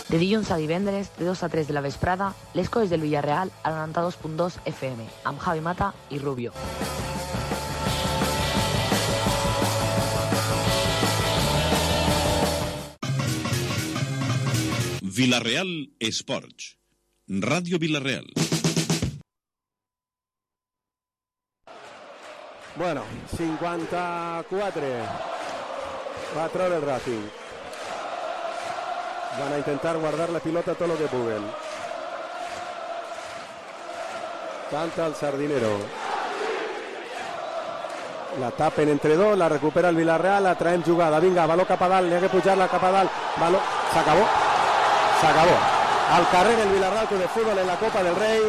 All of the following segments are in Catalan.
De dilluns a divendres, de 2 a 3 de la vesprada, les coses del Villarreal a 92.2 FM, amb Javi Mata i Rubio. Villarreal Esports, Ràdio Villarreal. Bueno, 54. Va a treure el Racing. Van a intentar guardar la pilota todo lo que pueden. Canta el Sardinero. La tapen entre dos, la recupera el Villarreal, la traen jugada. Vinga, baló cap a dalt, n'hi ha que pujar-la cap a dalt. Baló, s'acabó. Al carrer el Villarreal Club de Fútbol en la Copa del Rei.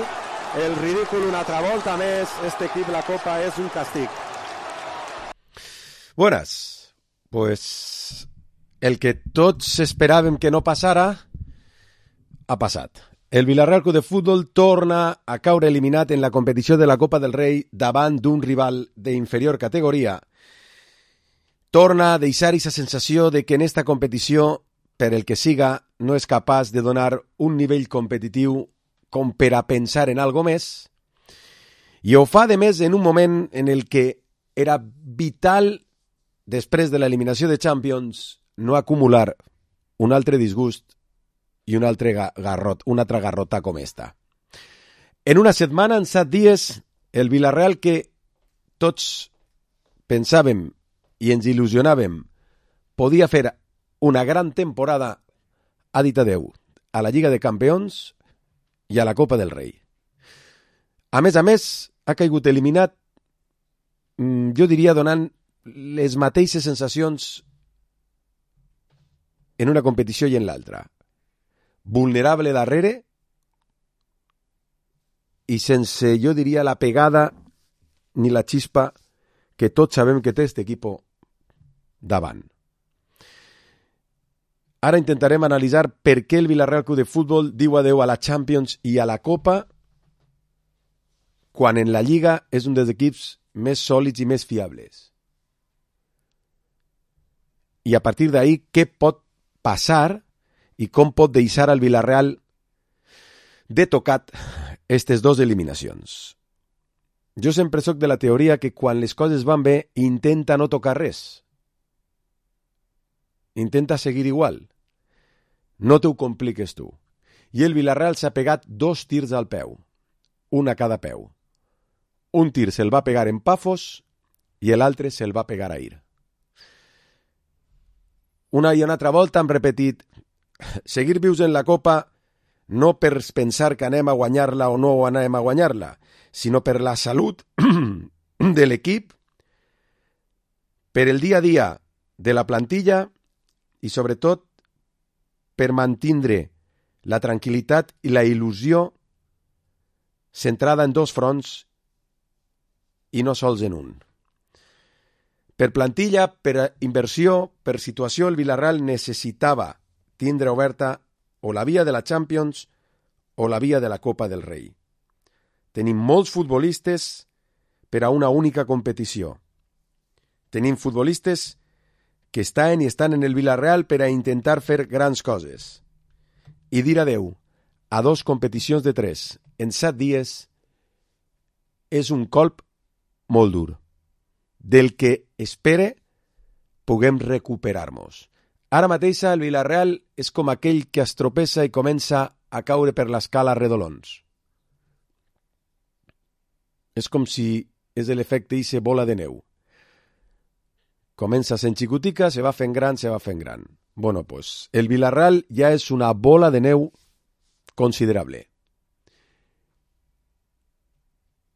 El ridícul una altra volta més. Este equip, la Copa, és un castig. Buenas. Pues el que tots esperàvem que no passara ha passat. El Villarreal Club de Fútbol torna a caure eliminat en la competició de la Copa del Rei davant d'un rival d'inferior categoria. Torna a deixar aquesta sensació de que en esta competició, per el que siga, no és capaç de donar un nivell competitiu com per a pensar en algo més, i ho fa, de més, en un moment en el que era vital, després de l'eliminació de Champions, no acumular un altre disgust i un altre garrota com esta. En una setmana, en 7 dies, el Villarreal que tots pensàvem i ens il·lusionàvem podia fer una gran temporada, ha dit adeu a la Lliga de Campions i a la Copa del Rei. A més, ha caigut eliminat, jo diria, donant les mateixes sensacions en una competició i en l'altra. Vulnerable darrere i sense, jo diria, la pegada ni la xispa que tots sabem que té este equipo davant. Ara intentarem analitzar per què el Villarreal Club de Fútbol diu adeu a la Champions i a la Copa quan en la Lliga és un dels equips més sòlids i més fiables. I a partir d'ahí, què pot passar i com pot deixar al Villarreal de tocat aquestes dues eliminacions. Jo sempre soc de la teoria que quan les coses van bé, intenta no tocar res. Intenta seguir igual. No t'ho compliques tu. I el Villarreal s'ha pegat 2 tirs al peu. Un a cada peu. Un tir se'l va pegar en Pafos i l'altre se'l va pegar ahir. Una i una altra volta hem repetit seguir vius en la Copa no per pensar que anem a guanyar-la o no anem a guanyar-la, sinó per la salut de l'equip, per el dia a dia de la plantilla i, sobretot, per mantindre la tranquil·litat i la il·lusió centrada en 2 fronts i no sols en un. Per plantilla, per inversió, per situació, el Villarreal necessitava tindre oberta o la via de la Champions o la via de la Copa del Rei. Tenim molts futbolistes per a una única competició. Tenim futbolistes que estan en el Villarreal per a intentar fer grans coses. I dir adeu a 2 competicions de 3 en 7 dies és un colp molt dur, del que espere puguem recuperar-nos. Ara mateix el Villarreal és com aquell que es tropessa i comença a caure per l'escala redolons. És com si és l'efecte d'eixa bola de neu. Comença sent xicotica, se va fent gran. Bueno, pues el Villarreal ja és una bola de neu considerable.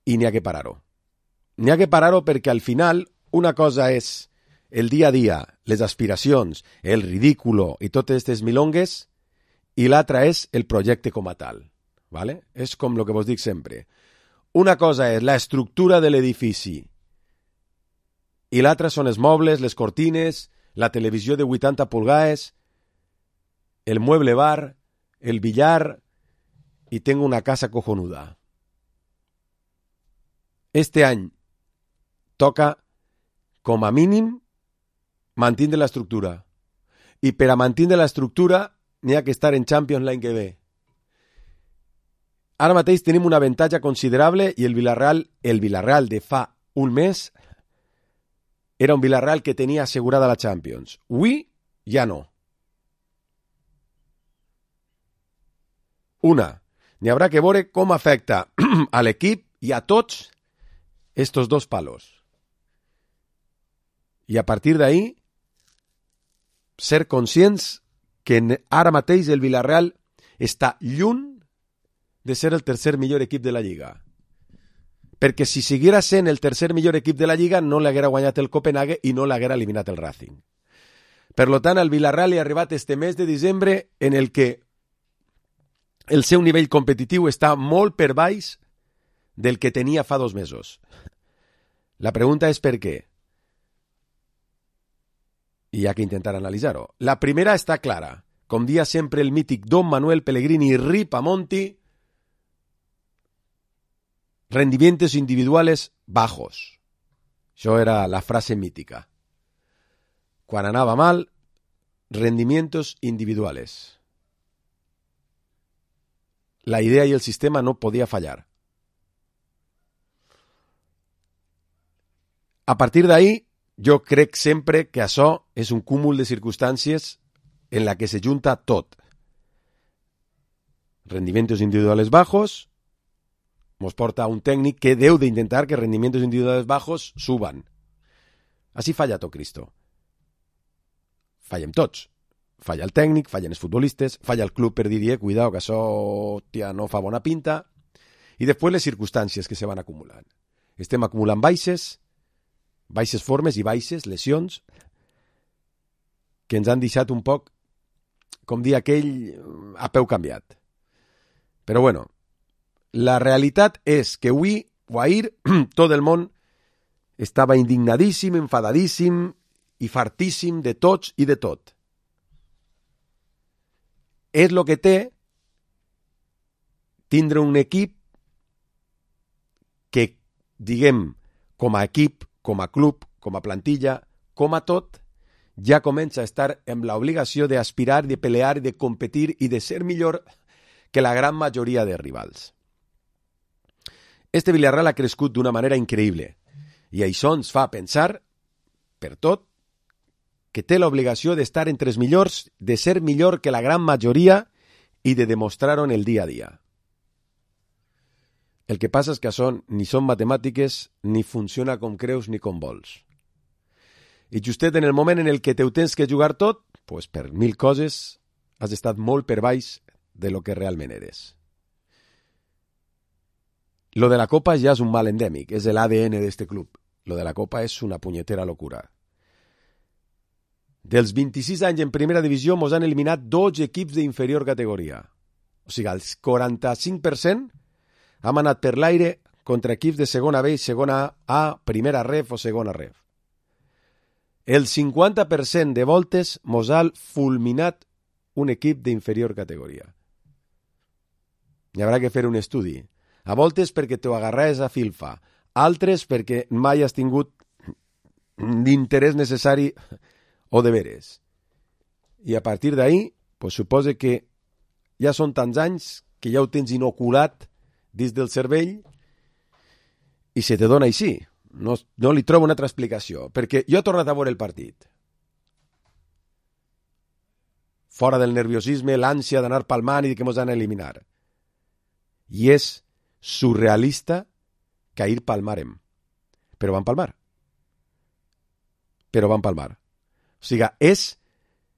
I n'hi ha que parar-ho. N'hi ha que parar-ho perquè al final una cosa és el dia a dia, les aspiracions, el ridículo i totes aquestes milongues, i l'altra és el projecte com a tal. ¿Vale? És com el que vos dic sempre. Una cosa és la estructura de l'edifici i l'altra són els mobles, les cortines, la televisió de 80 pulgades, el mueble bar, el billar i tengo una casa cojonuda. Este any toca, com a mínim, mantindre l'estructura. I per a mantindre l'estructura n'hi ha que estar en Champions l'any que ve. Ara mateix tenim un avantatge considerable i el Villarreal de fa un mes era un Villarreal que tenia assegurada la Champions. Avui ja no. N'hi haurà que veure com afecta a l'equip i a tots estos dos palos. I a partir d'ahí ser conscients que ara mateix el Villarreal està lluny de ser el tercer millor equip de la Lliga. Perquè si siguera sent el tercer millor equip de la Lliga no l'haguera guanyat el Copenhague i no l'haguera eliminat el Racing. Per tant, al Villarreal hi ha arribat este mes de desembre en el que el seu nivell competitiu està molt per baix del que tenia fa 2 mesos. La pregunta és per què? I hi ha que intentar analitzar-ho. La primera està clara. Com dia sempre el mític Don Manuel Pellegrini Ripamonti, rendimientos individuales bajos. Això era la frase mítica. Quan anava mal, rendimientos individuales. La idea i el sistema no podia fallar. A partir d'ahí, jo crec sempre que això és un cúmul de circumstàncies en la que se junta tot. Rendimientos individuales bajos nos porta a un tècnic que deu d'intentar que rendimientos individuales bajos suban. Així falla tot Cristo. Fallem tots. Falla el tècnic, fallen els futbolistes, falla el club per dir, cuidao, que això no fa bona pinta. I després les circumstàncies que se van acumulant. Estem acumulant baixes formes i baixes lesions que ens han deixat un poc, com dir aquell, a peu canviat. Però bueno, la realitat és que avui o ahir tot el món estava indignadíssim, enfadadíssim i fartíssim de tots i de tot. És el que té tindre un equip que, diguem, com a equip, com a club, com a plantilla, com a tot, ja comença a estar amb l'obligació d'aspirar, de pelear, de competir i de ser millor que la gran majoria de rivals. Este Villarreal ha crescut d'una manera increïble i això ens fa pensar, per tot, que té l'obligació d'estar entre els millors, de ser millor que la gran majoria i de demostrar-ho en el dia a dia. El que passa és que això ni són matemàtiques, ni funciona com creus ni com vols. I justet en el moment en el que te ho tens que jugar tot, pues per 1000 coses has estat molt per baix de lo que realment eres. Lo de la Copa ja és un mal endèmic, és l'ADN d'este club. Lo de la Copa és una punyetera locura. Dels 26 anys en primera divisió mos han eliminat 12 equips d'inferior categoria. O sigui, el 45% hem anat per l'aire contra equips de segona B i segona A, primera ref o segona ref. El 50% de voltes mos ha fulminat un equip d'inferior categoria. Hi haurà que fer un estudi. A voltes perquè t'ho agarraves a filfa, altres perquè mai has tingut d'interès necessari o de veres. I a partir d'ahí, pues suposa que ja són tants anys que ja ho tens inoculat dins del cervell i se te dona així. No li trobo una altra explicació, perquè jo he tornat a veure el partit. Fora del nerviosisme, l'ànsia d'anar palmant i que mos han a eliminar. I és surrealista que ahir palmarem. Però van palmar. O sigui, és,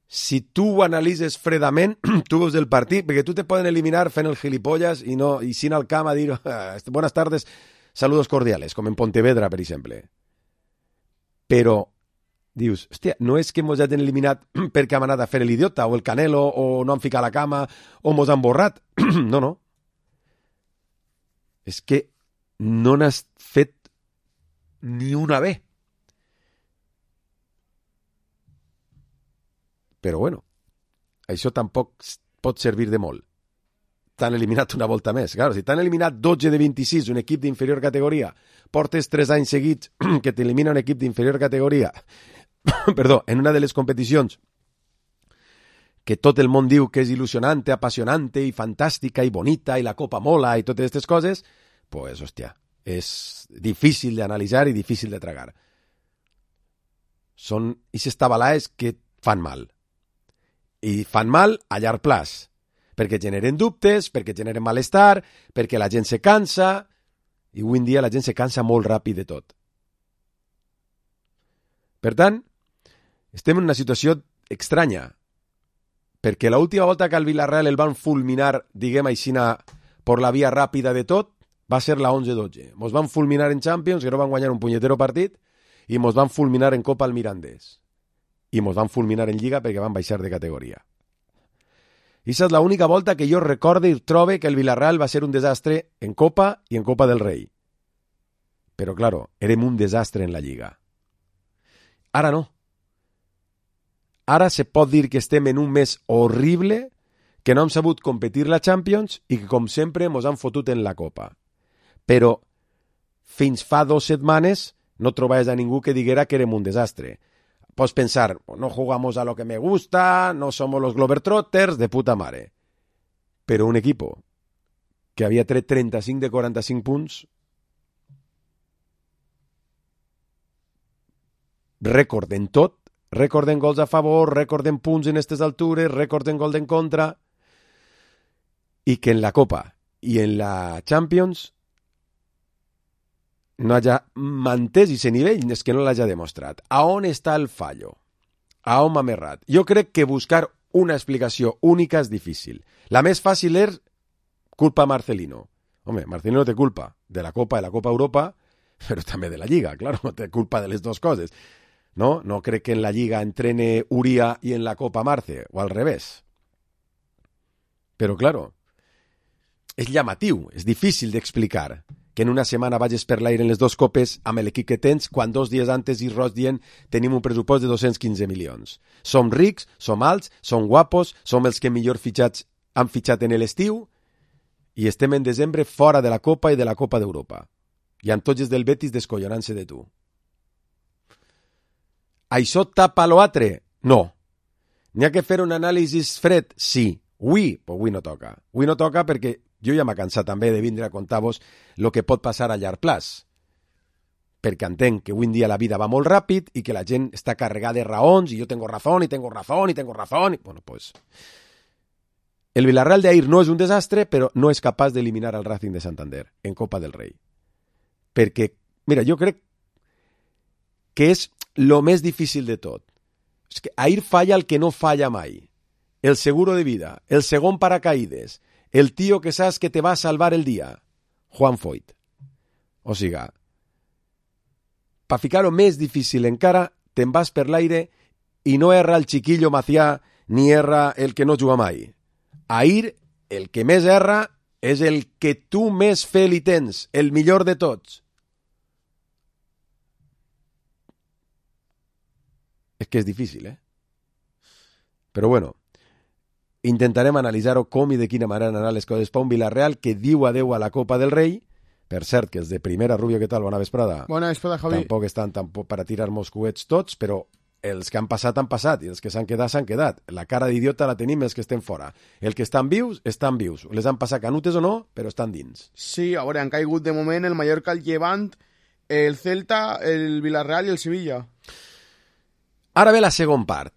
si tu ho analitzes fredament, tu veus el partit, perquè tu te poden eliminar fent el gilipollas i sin al camp a dir buenas tardes, saludos cordiales, com en Pontevedra, per exemple. Però dius, hòstia, no és que mos hagin eliminat perquè hem anat a fer l'idiota o el canelo o no han ficat la cama o mos han borrat. No. És que no n'has fet ni una bé. Però bueno, això tampoc pot servir de molt. T'han eliminat una volta més. Claro, si t'han eliminat 12 de 26, un equip d'inferior categoria, portes 3 anys seguits que t'elimina un equip d'inferior categoria, perdó, en una de les competicions que tot el món diu que és il·lusionante, apassionante i fantàstica i bonita i la copa mola i totes aquestes coses, pues, hòstia, és difícil d'analitzar i difícil de tragar. Són aquestes tabalaes que fan mal. I fan mal a llarg plaç, perquè generen dubtes, perquè generen malestar, perquè la gent se cansa, i avui en dia la gent se cansa molt ràpid de tot. Per tant, estem en una situació estranya, perquè l'última volta que al Villarreal el van fulminar, diguem així, per la via ràpida de tot, va ser la 11-12. Mos van fulminar en Champions, que no van guanyar un punyetero partit, i mos van fulminar en Copa al Mirandés. I mos van fulminar en Lliga perquè van baixar de categoria. I aquesta és l'única volta que jo recorde i trobe que el Villarreal va ser un desastre en Copa i en Copa del Rei. Però, claro, érem un desastre en la Lliga. Ara no. Ara se pot dir que estem en un mes horrible, que no hem sabut competir la Champions i que, com sempre, mos han fotut en la Copa. Però fins fa 2 setmanes no trobaves a ningú que diguera que érem un desastre. Pots pensar, no jugamos a lo que me gusta, no somos los Globetrotters, de puta mare. Però un equipo que havia tret 35 de 45 punts, rècord en tot, rècord en gols a favor, rècord en punts en aquestes altures, rècord en gol en contra, i que en la Copa i en la Champions no hagi mantès aquest nivell, és que no l'hagi demostrat. A on està el fallo? A on m'ha errat? Jo crec que buscar una explicació única és difícil. La més fàcil és culpa Marcelino. Home, Marcelino té culpa de la Copa i la Copa Europa, però també de la Lliga, claro, no té culpa de les dues coses. No crec que en la Lliga entrene Uria i en la Copa Marce, o al revés. Però, claro, és llamatiu, és difícil d'explicar que en una setmana vagis per l'aire en les dues copes amb l'equip que tens, quan 2 dies antes i Ross dient tenim un pressupost de 215 milions. Som rics, som alts, som guapos, som els que millor han fitxat en l'estiu i estem en desembre fora de la Copa i de la Copa d'Europa. I amb tots els del Betis descollonant-se de tu. Això tapa l'altre? No. N'hi ha que fer un anàlisi fred? Sí. Avui no toca. Avui no toca perquè jo ja m'ha cansat també de vindre a contar-vos el que pot passar a llarg plaç. Perquè entenc que avui en dia la vida va molt ràpid i que la gent està carregada de raons i jo tengo razón, i tengo razón, i tengo razón. Bueno, pues... El Villarreal d'ahir no és un desastre, però no és capaç d'eliminar el Racing de Santander en Copa del Rei. Perquè, mira, jo crec que és lo més difícil de tot. És que ahir falla el que no falla mai. El seguro de vida, el segon paracaídes, el tío que saps que te va a salvar el dia, Juan Foyt. O siga, per ficar-ho més difícil encara, te'n vas per l'aire i no erra el chiquillo Macià ni erra el que no juga mai. Ahir, el que més erra és el que tu més fe li tens, el millor de tots. És que és difícil, Però bueno, intentarem analitzar-ho com i de quina manera han anat les coses per un Villarreal que diu adeu a la Copa del Rei. Per cert, que els de primera, Rubio, què tal? Bona vesprada. Bona vesprada, Javi. Tampoc estan per a tirar-nos coets tots, però els que han passat, i els que s'han quedat, s'han quedat. La cara d'idiota la tenim els que estem fora. Els que estan vius, estan vius. Les han passat canutes o no, però estan dins. Sí, a veure, han caigut de moment el Mallorca, el Levant, el Celta, el Villarreal i el Sevilla. Ara ve la segona part.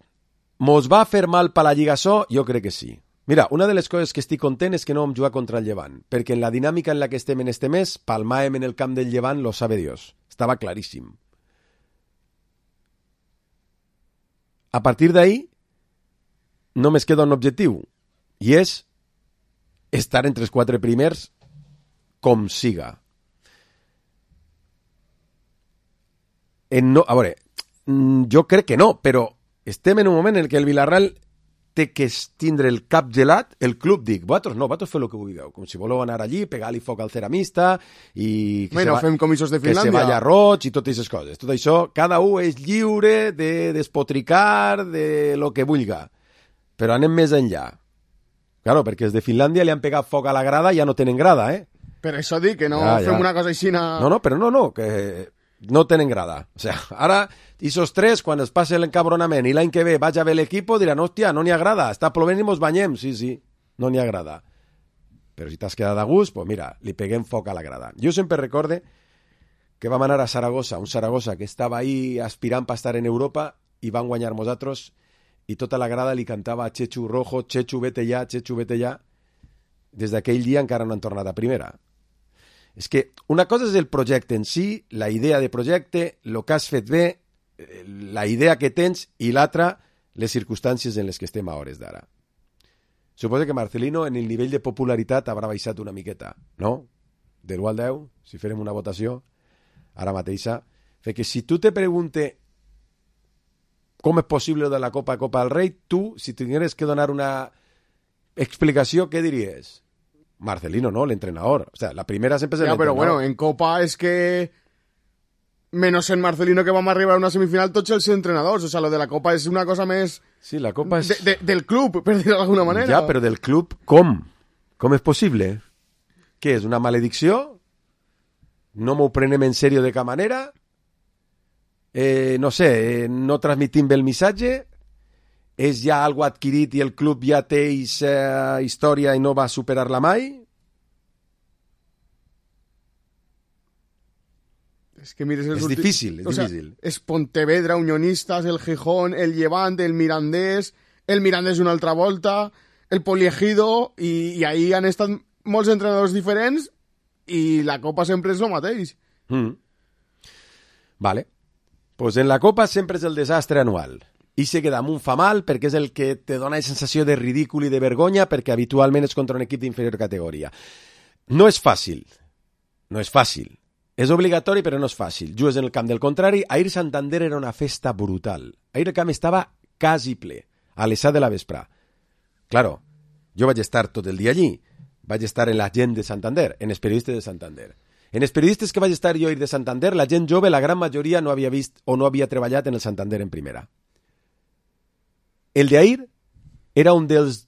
Mos va fer mal per la Lliga açò? Jo crec que sí. Mira, una de les coses que estic content és que no vam jugar contra el Llevant, perquè en la dinàmica en la que estem en este mes, palmàvem en el camp del Llevant, lo sabe Dios. Estava claríssim. A partir d'ahí, només queda un objectiu, i és estar entre els 4 primers com siga. A veure, jo crec que no, però estem en un moment en què el Villarreal té que tindre el cap gelat, el club dic, vosaltres feu el que vulgueu, com si voleu anar allí, pegar-li foc al ceramista i fem comissos de Finlàndia, que se vaya roig i totes aquestes coses. Tot això, cada un és lliure de despotricar de lo que vulga, però anem més enllà. Claro, perquè els de Finlàndia li han pegat foc a la grada i ja no tenen grada, Per això dic que no fem una cosa així... No, però no, que no tenen grada. O sea, ara, esos tres, quan es passe l'encabronament i l'any que ve vaig a ver l'equip, diran, hòstia, no n'hi agrada, està plovent i mos banyem. Sí, no n'hi agrada. Però si t'has quedat a gust, pues mira, li peguem foc a la grada. Jo sempre recorde que vam anar a Saragossa, un Saragossa que estava ahí aspirant per estar en Europa i van guanyar nosaltres i tota la grada li cantava a Chechu Rojo, Chechu vete ja, Chechu vete ja. Des d'aquell dia encara no han tornat a primera. És que una cosa és el projecte en si, la idea de projecte, el que has fet bé, la idea que tens, i l'altra, les circumstàncies en les que estem a hores d'ara. Suposo que Marcelino en el nivell de popularitat haurà baixat una miqueta, no? De l'1 al 10, si farem una votació, ara mateixa. Que si tu te pregunte com és possible de la Copa del Rei, tu, si tingueres que donar una explicació, ¿qué diries? Marcelino, ¿no? El entrenador. O sea, la primera siempre es el entrenador. Pero bueno, en Copa es que menos en Marcelino, que vamos a arribar a una semifinal, tots els entrenadors. O sea, lo de la Copa es una cosa més... Sí, la Copa és... del club, per dir d'alguna manera. Ja, però del club, com? Com és possible? Què és, una maledicció? No m'ho prenem en sèrio de cap manera? No sé, no transmitim bé el missatge? És ja algo adquirit i el club ja té aquesta història i no va superar-la mai? Es que mires és difícil, és difícil. És Pontevedra, Unionistas, el Gijón, el Levante, el Mirandés una altra volta, el Poliegido, i ahí han estat molts entrenadors diferents i la Copa sempre és el mateix. Vale. Pues en la Copa sempre és el desastre anual. I se queda amunt fa mal perquè és el que te dona la sensació de ridícul i de vergonya perquè habitualment és contra un equip d'inferior categoria. No és fàcil. No és fàcil. És obligatori, però no és fàcil. Jugues en el camp del contrari. Ahir Santander era una festa brutal. Ahir el camp estava quasi ple, a les 7 de la vesprà. Claro, jo vaig estar tot el dia allí. Vaig estar en la gent de Santander, en els periodistes de Santander. En els periodistes que vaig estar jo ahir de Santander, la gent jove, la gran majoria no havia vist o no havia treballat en el Santander en primera. El d'ahir era un dels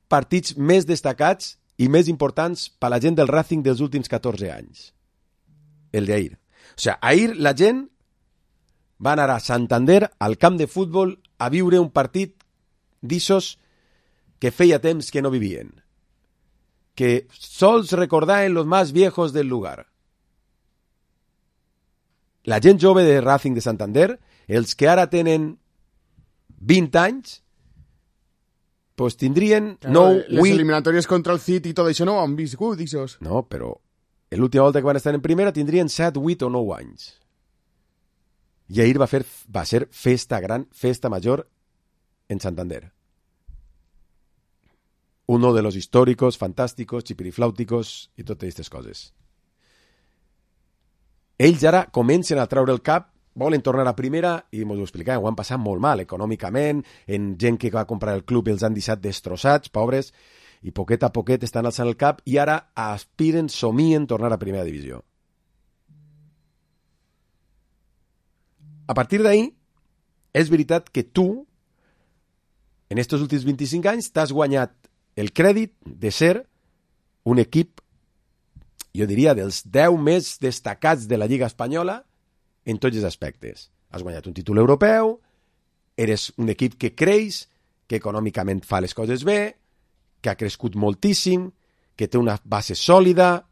partits més destacats i més importants per la gent del Racing dels últims 14 anys. El d'ahir. O sigui, ahir la gent va anar a Santander, al camp de futbol, a viure un partit d'issos que feia temps que no vivien. Que sols recordaven los más viejos del lugar. La gent jove de Racing de Santander, els que ara tenen 20 anys, pues tindrien... Claro, les eliminatòries contra el City i tot això no ho han viscut, ixos. No, però l'última volta que van estar en primera tindrien 7, 8 o 9 anys. I ahir va ser festa gran, festa major en Santander. Uno de los históricos, fantásticos, chipiriflàuticos i totes aquestes coses. Ells ara comencen a treure el cap, volen tornar a primera i m'ho explicaven, ho han passat molt mal econòmicament, en gent que va comprar el club els han deixat destrossats, pobres, i poquet a poquet estan alçant el cap i ara aspiren, somien tornar a primera divisió. A partir d'ahí, és veritat que tu, en estos últims 25 anys, t'has guanyat el crèdit de ser un equip, jo diria, dels 10 més destacats de la Lliga Espanyola en tots els aspectes. Has guanyat un títol europeu, eres un equip que creix, que econòmicament fa les coses bé, que ha crescut moltíssim, que té una base sòlida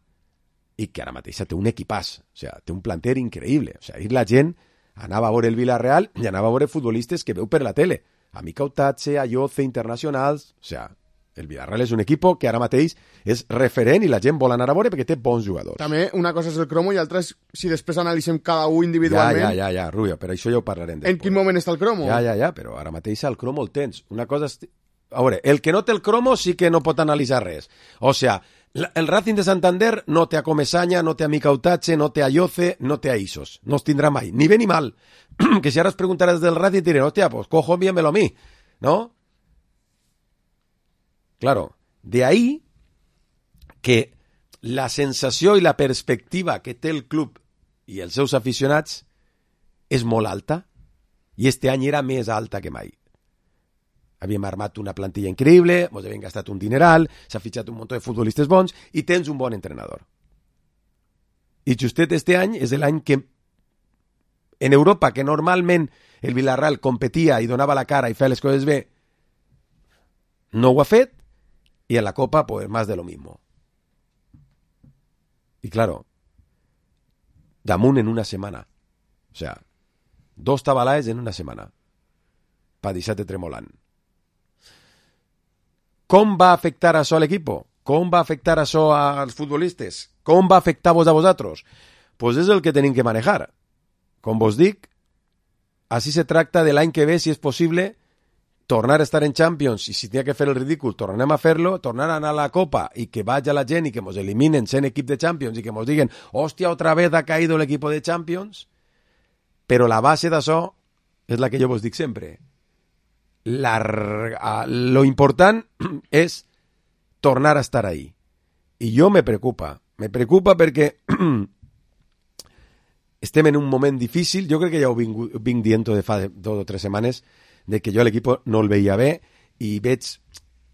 i que ara mateix té un equipàs. O sigui, té un planter increïble. O sigui, ahir la gent anava a veure el Villarreal i anava a veure futbolistes que veu per la tele. Amica Utache, Ayoce, internacionals... O sigui, el Villarreal és un equip que ara mateix és referent i la gent vol anar a veure perquè té bons jugadors. També una cosa és el cromo i l'altra és si després analitzem cada un individualment. Ja, Rubio, però això ja ho parlarem després. En quin moment està el cromo? Ja, però ara mateix el cromo el tens. Una cosa és... A veure, el que no té el cromo sí que no pot analitzar res. O sigui, el Racing de Santander no té a Comesaña, no té a Mica Utache, no té a Ayoce, no té a Isos. No els tindrà mai, ni bé ni mal. Que si ara es preguntaràs del Racing diré, hòstia, pues cojo, envíamelo a mi, ¿no? Claro, de ahí que la sensació i la perspectiva que té el club i els seus aficionats és molt alta i este any era més alta que mai. Havíem armat una plantilla increïble, ens havien gastat un dineral, s'ha fitxat un munt de futbolistes bons i tens un bon entrenador. I justet este any és l'any que En Europa, que normalment el Villarreal competia i donava la cara i feia les coses bé, no ho ha fet, y en la Copa, pues más de lo mismo. Y claro, damunt en una setmana. O sea, 2 tabalaes en una setmana. Pa deixar-te tremolant. Com va afectar això a l'equip? Com va afectar això als futbolistes? Com va afectar-vos a vosaltres? Pues és el que tenim que manejar. Com vos dic, així se tracta de l'any que ve, si és possible, tornar a estar en Champions, i si tenia que fer el ridícul, tornem a fer-lo, tornar a anar a la Copa i que vagi la gent i que mos eliminen sent equip de Champions i que mos diguen, hòstia, otra vez ha caído el equipo de Champions. Però la base d'això és la que jo vos dic sempre. Lo important és tornar a estar ahí. I jo me preocupa perquè estem en un moment difícil. Jo crec que ja ho vinc dient de fa 2 o 3 setmanes, de que jo l'equip no el veia bé i veig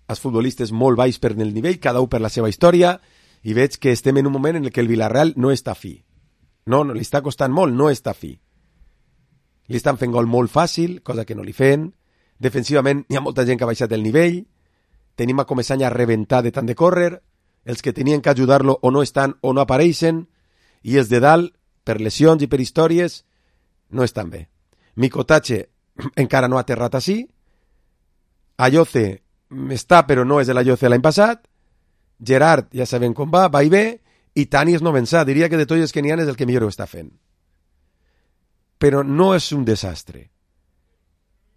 els futbolistes molt baix per el nivell, cada un per la seva història, i veig que estem en un moment en què el Villarreal no està fi. No, li està costant molt, no està fi. Li estan fent gol molt fàcil, cosa que no li fent. Defensivament hi ha molta gent que ha baixat el nivell. Tenim a Comesaña a reventar de tant de córrer. Els que tenien que ajudar-lo o no estan o no apareixen. I els de dalt, per lesions i per històries, no estan bé. Mikotache encara no ha aterrat així. Ayoce està, però no és l'Ayoce l'any passat. Gerard, ja sabem com va i bé. I Tani és no vençà. Diria que de tots els que n'hi ha és el que millor ho està fent. Però no és un desastre.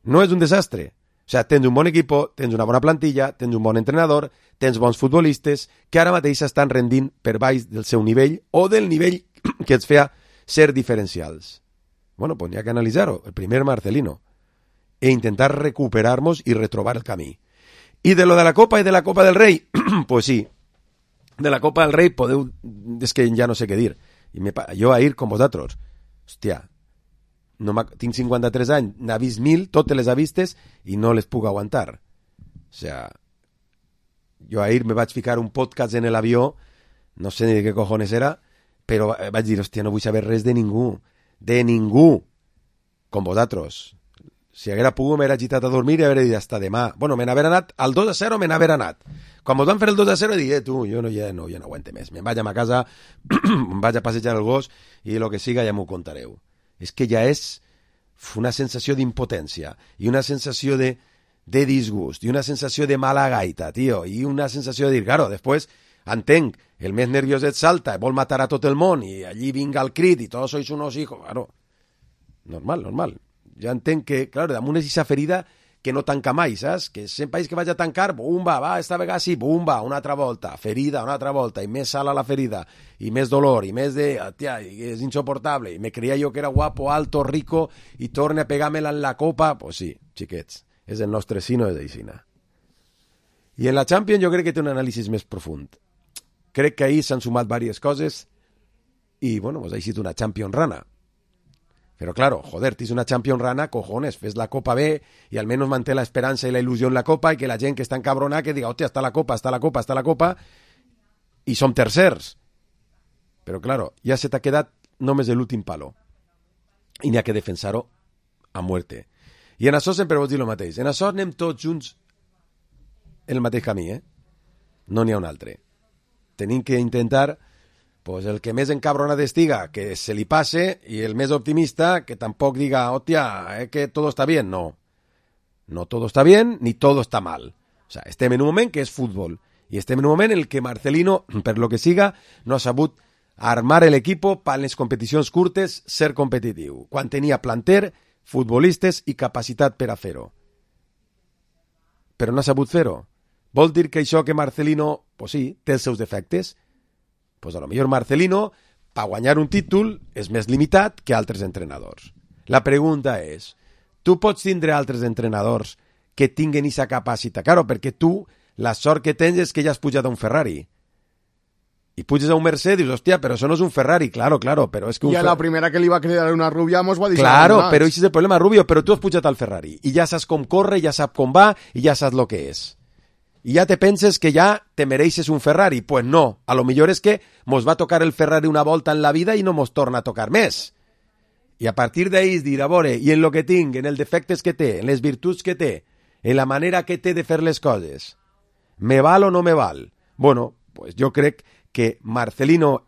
No és un desastre. O sea, tens un bon equip, tens una bona plantilla, tens un bon entrenador, tens bons futbolistes que ara mateix estan rendint per baix del seu nivell o del nivell que els feia ser diferencials. Bueno, pues n'hi ha que analitzar-ho. El primer Marcelino. E intentar recuperar-nos i retrobar el camí. I de lo de la Copa i de la Copa del Rei, pues sí. De la Copa del Rei podeu... És que ja no sé què dir. Jo ahir com vosaltres. Hòstia, tinc 53 anys, n'ha vist 1000, totes les ha vistes i no les puc aguantar. O sea, jo ahir me vaig ficar un podcast en l'avió, no sé ni de què cojones era, però vaig dir, hòstia, no vull saber res de ningú, com vosaltres. Si haguera pogut m'haguera agitat a dormir i haguera dit hasta demà. Bueno, me n'haver anat, al 2-0 me n'haver anat. Quan mos van fer el 2-0 dic, tu, jo no aguante més. Me'n vaig a ma casa, em vaig a passejar el gos i el que siga ja m'ho contareu. És que ja és una sensació d'impotència i una sensació de disgust i una sensació de mala gaita, tio, i una sensació de dir, claro, després entenc, el més nervioset salta, vol matar a tot el món i allí vinga el crit i tots sois unos hijos, claro, normal. Ja entenc que, claro, damunt és aquesta ferida que no tanca mai, saps? Que sempre que vaig a tancar, bumba, va, esta vegada sí, bumba, una altra volta, ferida, una altra volta, i més sal a la ferida, i més dolor, i més de, tia, és insoportable, i me creia jo que era guapo, alto, rico, i torne a pegar-me-la en la copa, pues sí, xiquets, és el nostre sino de Deixina. I en la Champions jo crec que té un anàlisi més profund. Crec que ahir s'han sumat diverses coses, i, bueno, pues ha sigut una Champions rana. Pero claro, joder, tienes una Champions rana, cojones, fes la Copa B y al menos mantén la esperanza y la ilusión en la Copa y que la gent que està encabrona que diga, hòstia, està la Copa i som tercers. Però claro, ja se t'ha quedat només l'últim palo. I n'hi ha que defensar-ho a muerte. I en això sempre vos dir el mateix. En això anem tots junts el mateix camí, No n'hi ha un altre. Tenim que intentar... pues el que més encabronat estiga, que se li passe, i el més optimista, que tampoc diga, hòstia, que todo está bien. No todo está bien, ni todo está mal. O sea, estem en un moment que és futbol, i estem en un moment en el que Marcelino, per lo que siga, no ha sabut armar l'equip per les competicions curtes, ser competitiu, quan tenia planter, futbolistes i capacitat per a fer-ho. Però no ha sabut fer-ho. Vol dir que això que Marcelino, pues sí, té els seus defectes, pues a lo millor Marcelino, per guanyar un títol, és més limitat que altres entrenadors. La pregunta és, tu pots tindre altres entrenadors que tinguen aquesta capacitat? Claro, perquè tu, la sort que tens és que ja has pujat a un Ferrari. I puges a un Mercedes, dius, hòstia, però això no és un Ferrari. Claro, però és que... I a la primera que li va cridar una rubia mos va dir... Claro, però això és el problema, Rubio, però tu has pujat al Ferrari i ja saps com corre, ja saps com va i ja saps lo que és. I ja te penses que ja te mereixes un Ferrari. Pues no, a lo millor és que mos va tocar el Ferrari una volta en la vida i no mos torna a tocar més. I a partir d'ahí és dir, a veure, i en lo que tinc, en els defectes que té, en les virtuts que té, en la manera que té de fer les coses, me val o no me val? Bueno, pues jo crec que Marcelino...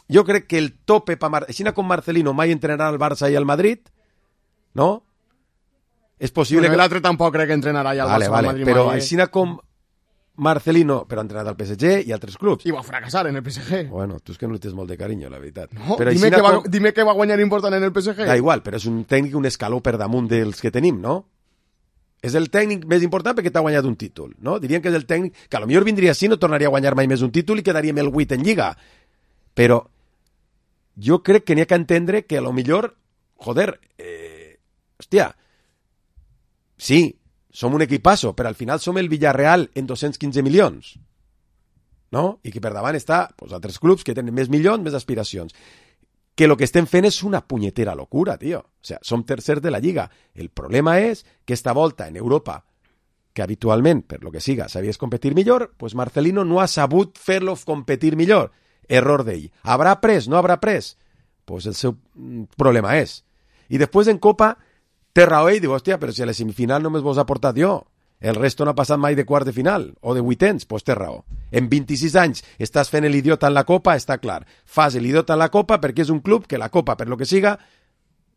Jo crec que el tope per Així com Marcelino mai entrenarà al Barça i al Madrid, no? És possible Bueno, que... l'altre tampoc crec que entrenarà ja al Barça o al Madrid però mai. així com Marcelino, però ha entrenat al PSG i altres clubs. I va fracassar en el PSG. Bueno, tu és que no li tens molt de carinyo, la veritat. No, però dime que va guanyar important en el PSG. Da igual, però és un tècnic un escaló per damunt dels que tenim, no? És el tècnic més important perquè t'ha guanyat un títol, no? Dirien que és el tècnic que a lo millor vindria així, no tornaria a guanyar mai més un títol i quedaríem el 8 en Lliga. Però jo crec que n'hi ha que entendre que a lo millor, joder, hòstia, sí, som un equipasso, però al final som el Villarreal en 215 milions, no? I que per davant està pues, altres clubs que tenen més milions, més aspiracions. Que el que estem fent és una punyetera locura, tio. O sea, som tercers de la Lliga. El problema és que esta volta en Europa, que habitualment, per lo que siga, sabies competir millor, pues Marcelino no ha sabut fer-lo competir millor. Error d'ell. Habrà pres? No habrà pres? Pues el seu problema és. I després en Copa té raó ell, diu, hòstia, però si a la semifinal només vos ha portat jo. El resto no ha passat mai de quart de final o de vuitens, pues té raó. En 26 anys estàs fent l'idiota en la Copa, està clar. Fas l'idiota en la Copa perquè és un club que la Copa, per lo que siga,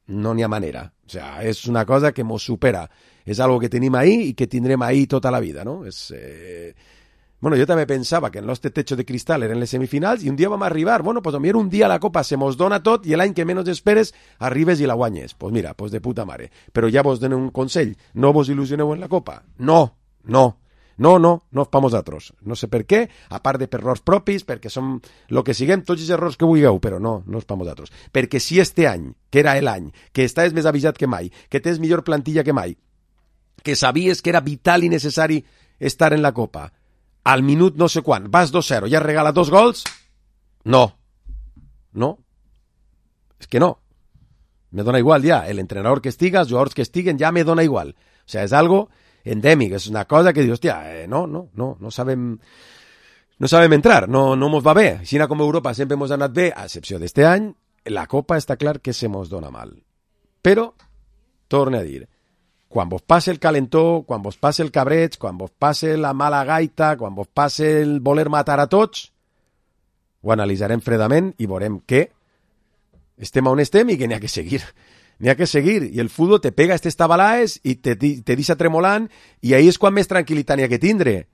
no n'hi ha manera. O sea, és una cosa que mos supera. És algo que tenim ahí i que tindrem ahí tota la vida, no? És... Bueno, jo també pensava que el nostre techo de cristal eren les semifinals i un dia vam arribar. Bueno, pues potser un dia la Copa se mos dona tot i l'any que menys esperes arribes i la guanyes. Pues mira, pues de puta mare. Però ja vos dono un consell. No vos il·lusioneu en la Copa. No per vosaltres. No sé per què, a part de per errors propis, perquè som el que siguem, tots els errors que vulgueu, però no és per vosaltres. Perquè si este any, que era l'any, que estàs més avisat que mai, que tens millor plantilla que mai, que sabies que era vital i necessari estar en la Copa, al minut no sé quan, vas 2-0, ja regala 2 gols? No. És que no. Me dona igual ja. El entrenador que estiga, els jugadors que estiguen, ja me dona igual. O sea, és algo endèmic, és una cosa que dius, hòstia, no sabem entrar, no mos va bé. Així com Europa sempre mos ha anat bé, a excepció d'este any, la Copa està clar que se mos dona mal. Però, torne a dir, quan vos passe el calentó, quan vos passe el cabreig, quan vos passe la mala gaita, quan vos passe el voler matar a tots, ho analitzarem fredament i veurem que estem on estem i que n'hi ha que seguir. N'hi ha que seguir. I el futbol te pega estes tabalaes i te deixa tremolant i ahí és quan més tranquil·litat n'hi ha que tindre.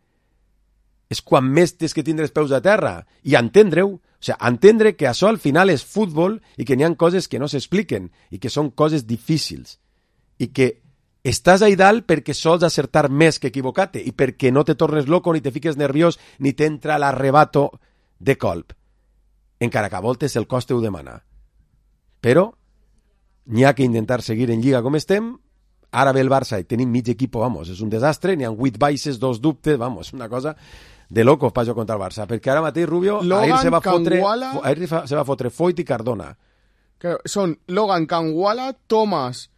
És quan més tens que tindre els peus a terra. I entendre-ho. O sigui, entendre que això al final és futbol i que n'hi ha coses que no s'expliquen i que són coses difícils. I que estàs ahí dalt perquè sols acertar més que equivocar-te i perquè no te tornes loco, ni te fiques nerviós, ni t'entra l'arrebato de colp. Encara que a voltes el cos t'ho demana. Però n'hi ha que intentar seguir en Lliga com estem. Ara ve el Barça i tenim mig equip, vamos, és un desastre, n'hi ha 8 baixes, 2 dubtes, vamos, una cosa de loco per jugar contra el Barça, perquè ara mateix Rubio ahir se va fotre Foyt i Cardona. Que són Logan, Canguala, Thomas,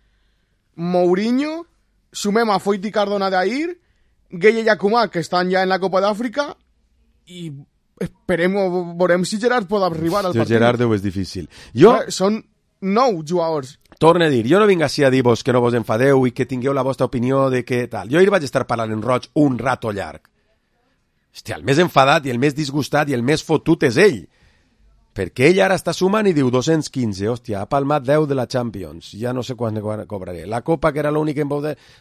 Mourinho, sumem a Foyt i Cardona d'ahir, Gueye i Akumak, que estan ja en la Copa d'Àfrica, i veurem si Gerard pot arribar al partit. Gerard és difícil. Són 9 jugadors. Torne a dir, jo no vinc així a dir-vos que no vos enfadeu i que tingueu la vostra opinió de que tal. Jo ahir vaig estar parlant en roig un rato llarg. Hòstia, el més enfadat i el més disgustat i el més fotut és ell. Perquè ell ara està sumant i diu 215, hòstia, ha palmat 10 de la Champions, ja no sé quan cobraré. La Copa, que era l'única que em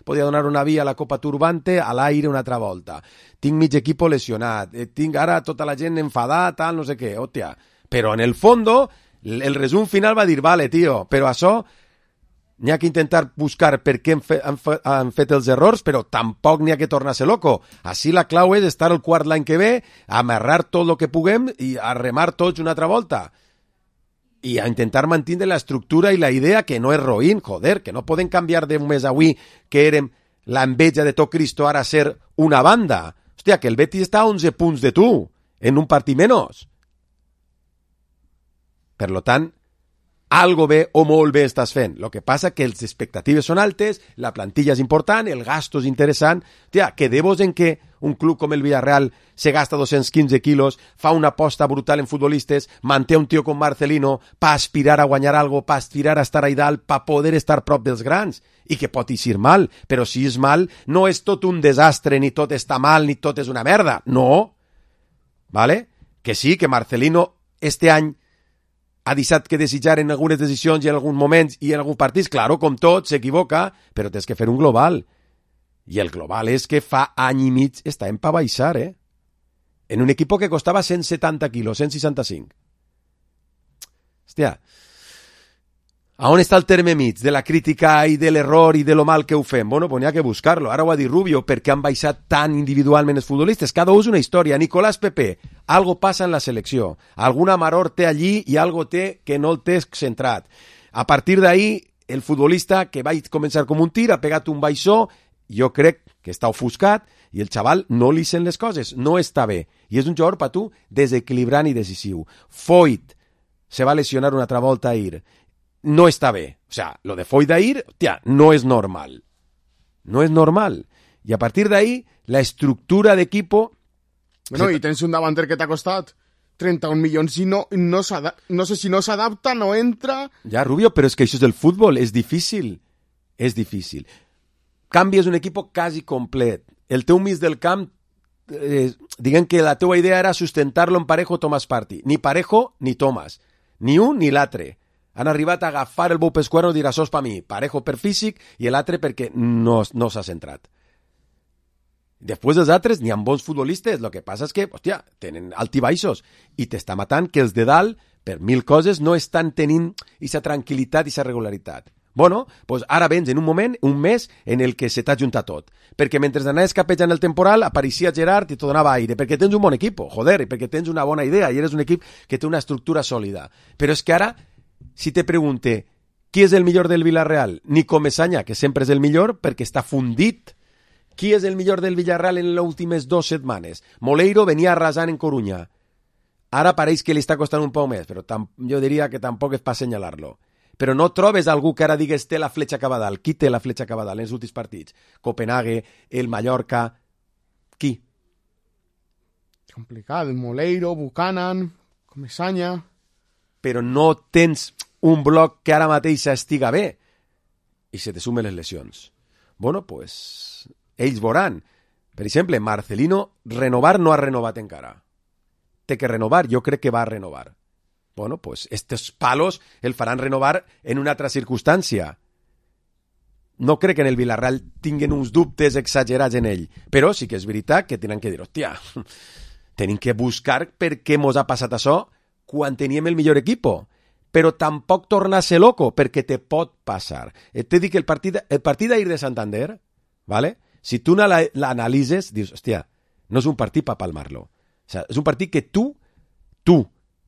podia donar una via, la Copa Turbante, a l'aire una altra volta. Tinc mig equip lesionat, tinc ara tota la gent enfadada, tal, no sé què, hòstia. Però en el fondo, el resum final va dir, vale, tio, però això n'hi ha que intentar buscar per què han fet els errors, però tampoc n'hi ha que tornar-se loco. Així la clau és estar el quart l'any que ve, amarrar tot el que puguem i a remar tots una altra volta. I a intentar mantenir l'estructura i la idea que no és roïn, joder, que no poden canviar d'un mes avui que érem l'enveja de tot Cristo ara ser una banda. Hòstia, que el Betis està a 11 punts de tu, en un partit menys. Per lo tant, algo bé o molt bé estàs fent. Lo que passa que les expectatives són altes, la plantilla és important, el gasto és interessant. Tia, quedeu-vos en que un club com el Villarreal se gasta 215 quilos, fa una aposta brutal en futbolistes, manté un tio com Marcelino pa aspirar a guanyar algo, pa aspirar a estar a dalt, pa poder estar prop dels grans, i que pot eixir mal, però si és mal, no és tot un desastre, ni tot està mal, ni tot és una merda, no. ¿Vale? Que sí, que Marcelino este any ha deixat que desitjar en algunes decisions i en alguns moments i en alguns partits, claro, com tot, s'equivoca, però tens que fer un global. I el global és que fa any i mig està en pa baixar, en un equip que costava 170 quilos, 165. Hòstia, a on està el terme mig de la crítica i de l'error i de lo mal que ho fem? Bueno, pues n'hi ha que buscar-lo. Ara ho ha dit Rubio, perquè han baixat tan individualment els futbolistes. Cada un és una història. Nicolás Pepe, algo passa en la selecció. Alguna maror té allí i algo té que no el té centrat. A partir d'ahí, el futbolista que va començar com un tir ha pegat un baixó, jo crec que està ofuscat, i el xaval no li sent les coses, no està bé. I és un jugador per tu desequilibrant i decisiu. Foyt se va lesionar una altra volta ahir. No está bé. O sea, lo de Foyt d'ahir, tía, no es normal. No es normal. Y a partir de ahí, la estructura de equipo... Bueno, y tens un davanter que t'ha costat 31 milions i no sé si no s'adapta, no entra... Ja, Rubio, però és que això és el futbol, és difícil. És difícil. Canvies un equip quasi complet. El teu mig del camp, diguem que la teua idea era sustentar-lo en Parejo, Tomàs Partey. Ni Parejo ni Tomàs. Ni un ni l'altre. Han arribat a agafar el bou pescuero i dir això és per mi, Parejo per físic i l'altre perquè no s'ha centrat. Després dels altres n'hi ha bons futbolistes, el que passa és que, hòstia, tenen altibaixos i t'està matant que els de dalt, per mil coses, no estan tenint aquesta tranquil·litat i aquesta regularitat. Bueno, pues ara vens en un moment, un mes, en el que se t'ha juntat tot. Perquè mentre anaves capejant el temporal, apareixia Gerard i t'ho donava aire, perquè tens un bon equip, joder, i perquè tens una bona idea i eres un equip que té una estructura sòlida. Però és que ara, si te pregunte qui és el millor del Villarreal, Nico Mesaña, que sempre és el millor perquè està fundit. Qui és el millor del Villarreal en les últimes 2 setmanes? Moleiro venia arrasant en Coruña. Ara pareix que li està costant un poc més, però jo diria que tampoc és per assenyalar-lo. Però no trobes algú que ara digues té la fletxa cap a dalt. Qui té la fletxa cap a dalt en els últims partits? Copenhague, el Mallorca... Qui? Complicat. Moleiro, Buchanan, Comesaña... Però no tens un bloc que ara mateix estiga bé i se te sumen les lesions. Bueno, pues, ells veuran. Per exemple, Marcelino, renovar no ha renovat encara. Té que renovar, jo crec que va a renovar. Bueno, pues, estos palos el faran renovar en una altra circumstància. No crec que en el Villarreal tinguin uns dubtes exagerats en ell, però sí que és veritat que tenen que dir, hòstia, tenim que buscar per què mos ha passat això quan teníem el millor equipo, però tampoc tornar a ser loco, perquè te pot passar. T'he dit que el partit d'ahir de Santander, ¿vale? Si tu l'analitzes, dius, hòstia, no és un partit per palmar-lo. O sea, és un partit que tu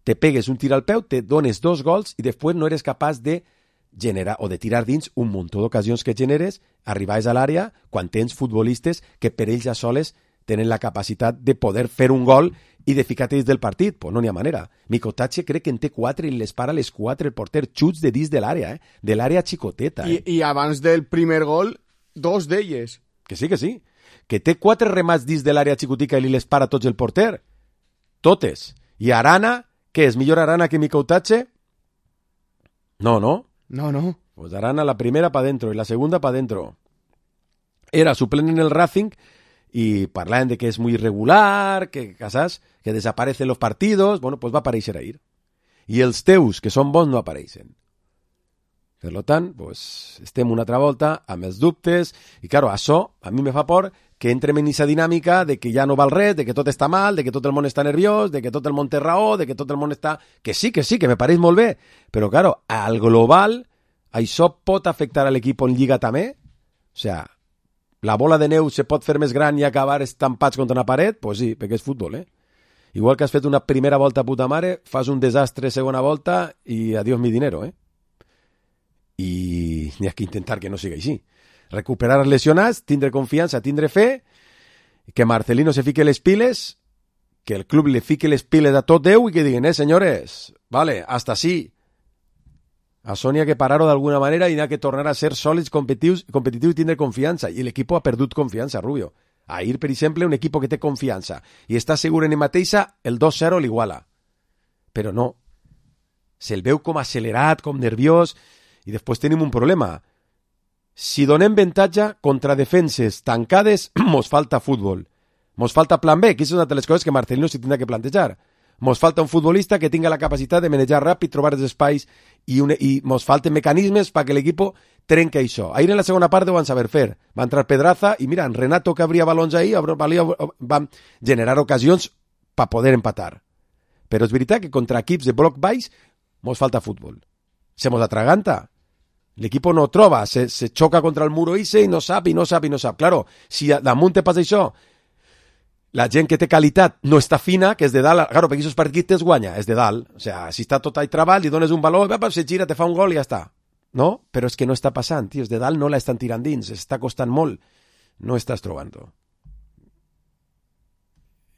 te pegues un tir al peu, te dones 2 gols i després no eres capaç de generar o de tirar dins un munt d'ocasions que generes, arribaves a l'àrea quan tens futbolistes que per ells ja soles tenen la capacitat de poder fer un gol i de ficar-te dins del partit. Pues no n'hi ha manera. Micotatge crec que en té 4 i les para les 4 el porter. Xuts de dins de l'àrea, de l'àrea xicoteta. I abans del primer gol, 2 d'elles. Que sí, que sí. Que té 4 remats dins de l'àrea xicotica i li les para tots el porter. Totes. I Arana, què és? Millor Arana que Micotatge? No, no. No. Pues Arana la primera pa dentro y la segunda pa dentro. Era suplente en el Racing y parlaban de que es muy irregular, que ¿sabes? Que desaparecen los partidos. Bueno, pues va a aparèixer ahir. I els teus, que són bons, no apareixen. Per tant, pues, estem una altra volta amb els dubtes i, claro, això a mi me fa por que entrem en aquesta dinàmica de que ja no val res, de que tot està mal, de que tot el món està nerviós, de que tot el món té raó, de que tot el món està... Que sí, que me pareix molt bé. Però, claro, al global, això pot afectar a l'equip en Lliga també? O sea, la bola de neu se pot fer més gran i acabar estampats contra una paret? Pues sí, perquè és futbol, Igual que has fet una primera volta puta mare, fas un desastre segona volta i adiós mi dinero, I n'hi ha que intentar que no sigui així. Recuperar els lesionats, tindre confiança, tindre fe, que Marcelino se fique les piles, que el club le fique les piles a tot Déu i que diguen, senyores, vale, hasta sí. Això n'hi ha que parar-ho d'alguna manera i n'hi ha que tornar a ser sòlids, competitius i tindre confiança. I l'equip ha perdut confiança, Rubio. Ahir, per exemple, un equip que té confiança i està segur en ell mateixa, el 2-0 l'iguala. Però no. Se'l veu com accelerat, com nerviós, i després tenim un problema. Si donem avantatge contra defenses tancades, mos falta futbol. Mos falta plan B, que és una de les coses que Marcelino s'hi tindrà que plantejar. Mos falta un futbolista que tinga la capacitat de manejar ràpid, trobar els espais i mos falten mecanismes perquè l'equip trenca això. Ahir en la segona part ho van saber fer. Va entrar Pedraza i mira, en Renato que abria balons ahir va generar ocasions per poder empatar. Però és veritat que contra equips de bloc baix mos falta futbol. Se mos atraganta. L'equip no troba, se xoca contra el muro i no sap. Claro, si damunt te passa això, la gent que té qualitat no està fina, que és de dalt, claro, perquè aquests partits es guanya, és de dalt. O sea, si està tot ahí treball, li dones un valor, se gira, te fa un gol i ja està. No? Però és que no està passant, tio, és de dalt no la estan tirant dins, està costant molt. No estàs trobant-ho.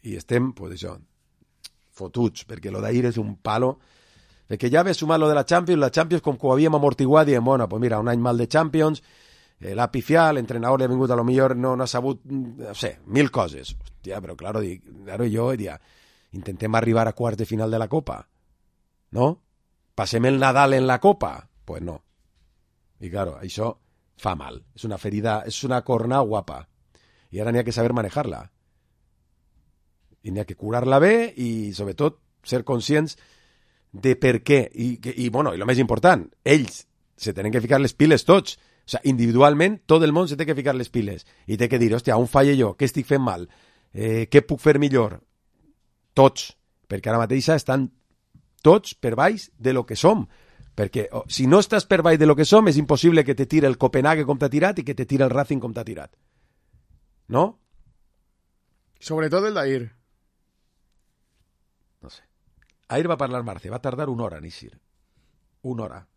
I estem, pues això, fotuts, perquè lo d'ahir és un palo. Perquè ja ve sumar lo de la Champions com que ho havíem amortiguat, diem, bueno, pues mira, un any mal de Champions, l'ha pifiat, l'entrenador li ha vingut a lo millor, no ha sabut, no sé, 1000 coses. Hòstia, però claro, jo diria, intentem arribar a quarts de final de la Copa, no? Passem el Nadal en la Copa? Pues no. I claro, això fa mal. És una ferida, és una corna guapa. I ara n'hi ha que saber manejar-la. I n'hi ha que curar-la bé i, sobretot, ser conscients de per què. I bueno, i el més important, ells se tenen que ficar les piles tots. O sea, individualment, tot el món se té que ficar les piles i té que dir, hòstia, on falle jo? Què estic fent mal? Què puc fer millor? Tots, perquè ara mateix estan tots per baix de lo que som, perquè si no estàs per baix de lo que som és impossible que te tire el Copenhague com t'ha tirat i que te tire el Racing com t'ha tirat, no? Sobretot el d'ahir. No sé. Ahir va parlar Marce, va tardar una hora en eixir. Una hora.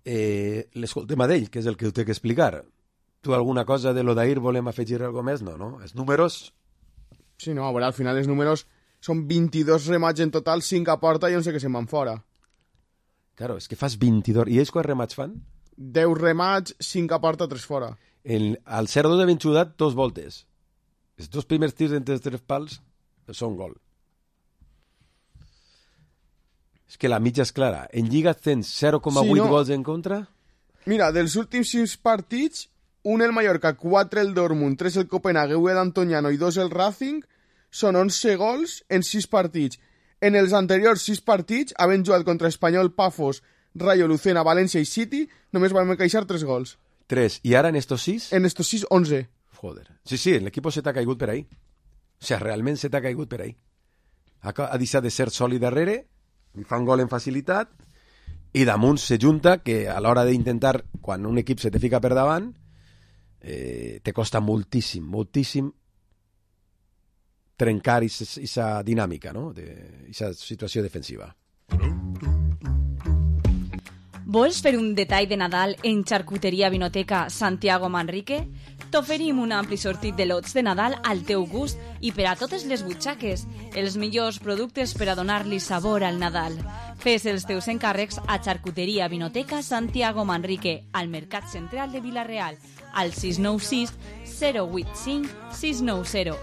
L'escoltem a d'ell, que és el que ho té que explicar. Tu alguna cosa de lo d'ahir volem afegir alguna més? No? Els números... Sí, no, a veure, al final els números són 22 remats en total, 5 a porta i 11 que se'n van fora. Claro, és que fas 22... I ells quants remats fan? 10 remats, 5 a porta, 3 fora. Al 0-2 de Benxudat, 2 voltes. Els 2 primers tirs entre els 3 pals són gol. És que la mitja és clara. En Lliga tens 0,8 gols en contra? Mira, dels últims 6 partits, un el Mallorca, 4 el Dortmund, 3 el Copenhague, 1 el Antoniano i 2 el Racing, són 11 gols en 6 partits. En els anteriors 6 partits, havent jugat contra Espanyol, Pafos, Rayo, Lucena, València i City, només van encaixar 3 gols. 3. I ara en estos 6? En estos 6, 11. Joder. Sí, l'equip se t'ha caigut per ahí. O sea, realment se t'ha caigut per ahí. Ha deixat de ser sòlid darrere, li fa un gol en facilitat i damunt se junta que a l'hora d'intentar, quan un equip se te fica per davant, te costa moltíssim trencar aquesta dinàmica, no? Aquesta situació defensiva. Vols fer un detall de Nadal en Xarcuteria Vinoteca Santiago Manrique? T'oferim un ampli sortit de lots de Nadal al teu gust i per a totes les butxaques, els millors productes per a donar-li sabor al Nadal. Fes els teus encàrrecs a Xarcuteria Vinoteca Santiago Manrique, al Mercat Central de Vila-real, al 696 085 690.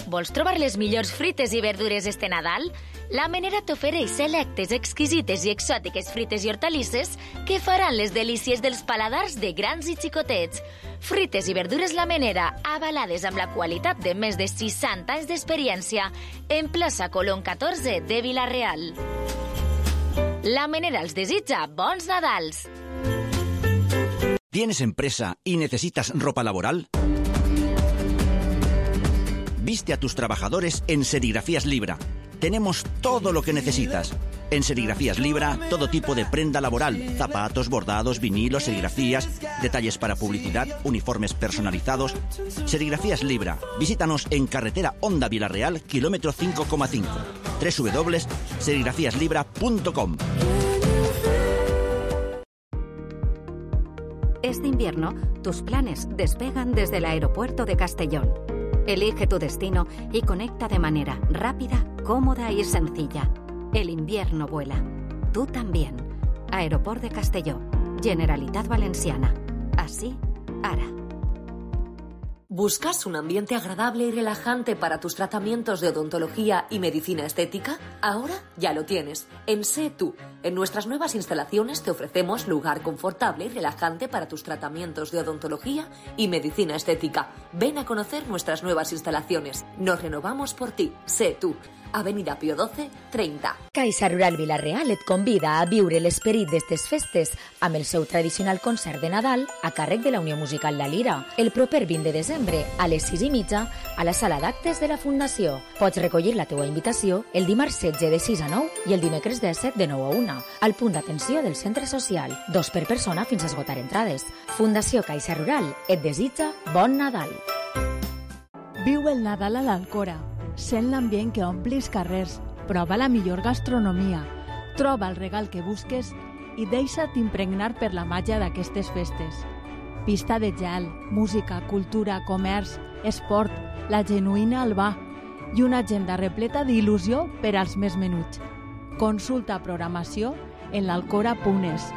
Vols trobar les millors frites i verdures este Nadal? La Menera t'ofereix selectes, exquisites i exòtiques frites i hortalisses que faran les delícies dels paladars de grans i xicotets. Frites i verdures La Menera, avalades amb la qualitat de més de 60 anys d'experiència, en plaça Colón 14 de Vila-real. La Menera els desitja bons Nadals. ¿Tienes empresa y necesitas ropa laboral? Viste a tus trabajadores en Serigrafías Libra. Tenemos todo lo que necesitas. En Serigrafías Libra, todo tipo de prenda laboral, zapatos, bordados, vinilos, serigrafías, detalles para publicidad, uniformes personalizados. Serigrafías Libra. Visítanos en carretera Honda Vila-real, kilómetro 5,5. www.serigrafiaslibra.com. Este invierno, tus planes despegan desde el aeropuerto de Castellón. Elige tu destino y conecta de manera rápida, cómoda y sencilla. El invierno vuela. Tú también. Aeroport de Castelló. Generalitat Valenciana. Así, ara. ¿Buscas un ambiente agradable y relajante para tus tratamientos de odontología y medicina estética? Ahora ya lo tienes. En Sé Tú. En nuestras nuevas instalaciones te ofrecemos lugar confortable y relajante para tus tratamientos de odontología y medicina estética. Ven a conocer nuestras nuevas instalaciones. Nos renovamos por ti. Sé Tú. Avenida Pío XII, 30. Caixa Rural Vila-real et convida a viure l'esperit d'estes festes amb el seu tradicional concert de Nadal a càrrec de la Unió Musical La Lira, el proper 20 de desembre a les 6:30 a la sala d'actes de la Fundació. Pots recollir la teua invitació el dimarts 16 de 6 a 9 i el dimecres 17 de 9 a 1 al punt d'atenció del centre social. 2 per persona fins a esgotar entrades. Fundació Caixa Rural et desitja bon Nadal. Viu el Nadal a l'Alcora. Sent l'ambient que ompli els carrers, prova la millor gastronomia, troba el regal que busques i deixa't impregnar per la màgia d'aquestes festes. Pista de gel, música, cultura, comerç, esport, la genuïna Albà i una agenda repleta d'il·lusió per als més menuts. Consulta programació en l'alcora.es.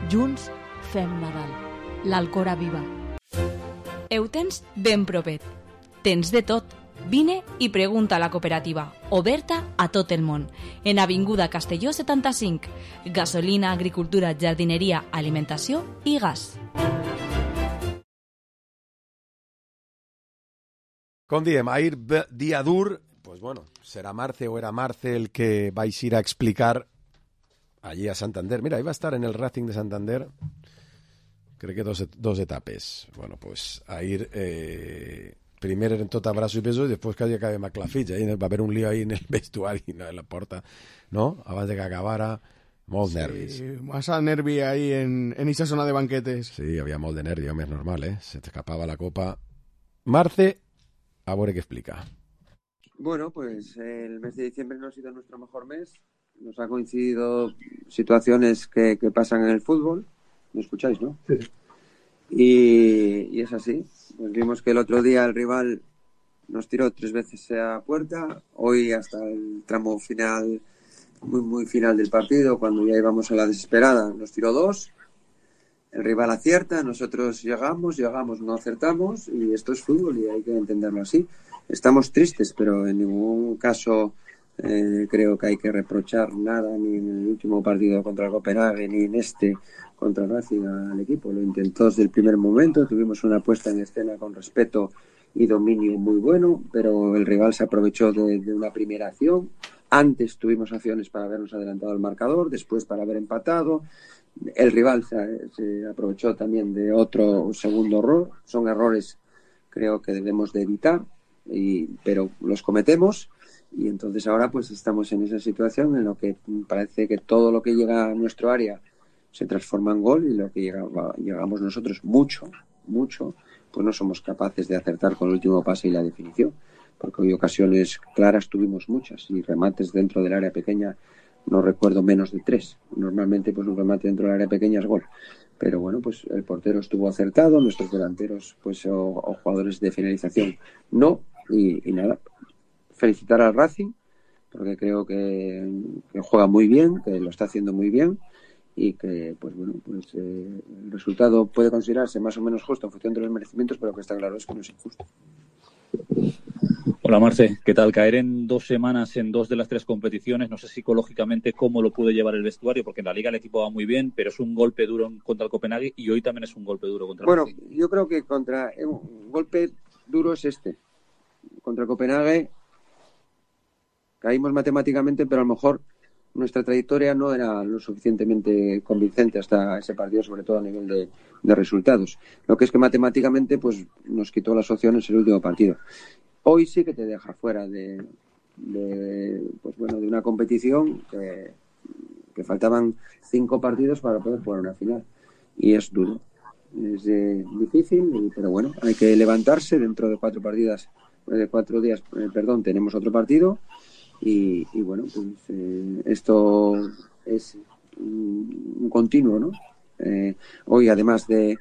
Junts fem Nadal. L'Alcora viva. Ho tens ben propet. Tens de tot. Vine i pregunta a la cooperativa, oberta a tot el món, en Avinguda Castelló 75, gasolina, agricultura, jardineria, alimentació i gas. Com diem, ahir dia dur, pues bueno, serà Marce o era Marce el que vais ir a explicar allí a Santander. Mira, iba a estar en el Racing de Santander, crec que dos etapes. Bueno, pues ahir... primer en tot abraço i besos i després que acabem a Clafitx, va haver un lío ahí en el vestuari, en la porta, ¿no? Abans de que acabara, molt nervis. Sí, massa nervi ahí en esa zona de banquetes. Sí, hi havia molt de nervi, home, és normal, ¿eh? Se t'escapava la copa. Marce, a veure què explica. Bueno, pues el mes de diciembre no ha sido nuestro mejor mes. Nos ha coincidido situaciones que pasan en el fútbol. ¿Me escucháis, no? Sí. Y es así. Pues vimos que el otro día el rival nos tiró 3 veces a puerta. Hoy hasta el tramo final, muy final del partido, cuando ya íbamos a la desesperada, nos tiró 2. El rival acierta, nosotros llegamos, no acertamos, y esto es fútbol y hay que entenderlo así. Estamos tristes, pero en ningún caso creo que hay que reprochar nada, ni en el último partido contra el Copenhague, ni en este contra el Racing al equipo. Lo intentó desde el primer momento, tuvimos una puesta en escena con respeto y dominio muy bueno, pero el rival se aprovechó de una primera acción. Antes tuvimos acciones para habernos adelantado al marcador, después para haber empatado. El rival se aprovechó también de otro segundo error. Son errores, creo que debemos de evitar, pero los cometemos. Y entonces ahora pues estamos en esa situación en lo que parece que todo lo que llega a nuestro área se transforma en gol, y lo que llegamos nosotros mucho, pues no somos capaces de acertar con el último pase y la definición, porque hoy ocasiones claras tuvimos muchas, y remates dentro del área pequeña no recuerdo menos de 3. Normalmente pues un remate dentro del área pequeña es gol, pero bueno, pues el portero estuvo acertado, nuestros delanteros pues o jugadores de finalización no, y nada, felicitar al Racing porque creo que juega muy bien, que lo está haciendo muy bien, y que pues bueno, pues el resultado puede considerarse más o menos justo en función de los merecimientos, pero que está claro es que no es injusto. Hola Marce, ¿qué tal? Caer en 2 semanas en 2 de las 3 competiciones, no sé psicológicamente cómo lo puede llevar el vestuario, porque en la Liga el equipo va muy bien, pero es un golpe duro contra el Copenhague y hoy también es un golpe duro contra el Racing. Bueno, yo creo que un golpe duro es contra el Copenhague caímos matemáticamente, pero a lo mejor nuestra trayectoria no era lo suficientemente convincente hasta ese partido, sobre todo a nivel de resultados. Lo que es que matemáticamente pues nos quitó las opciones el último partido. Hoy sí que te deja fuera de una competición que faltaban 5 partidos para poder jugar una final. Y es duro, es difícil, pero bueno, hay que levantarse. Dentro de 4 días, tenemos otro partido. Y bueno, pues esto es un continuo, ¿no? Hoy, además de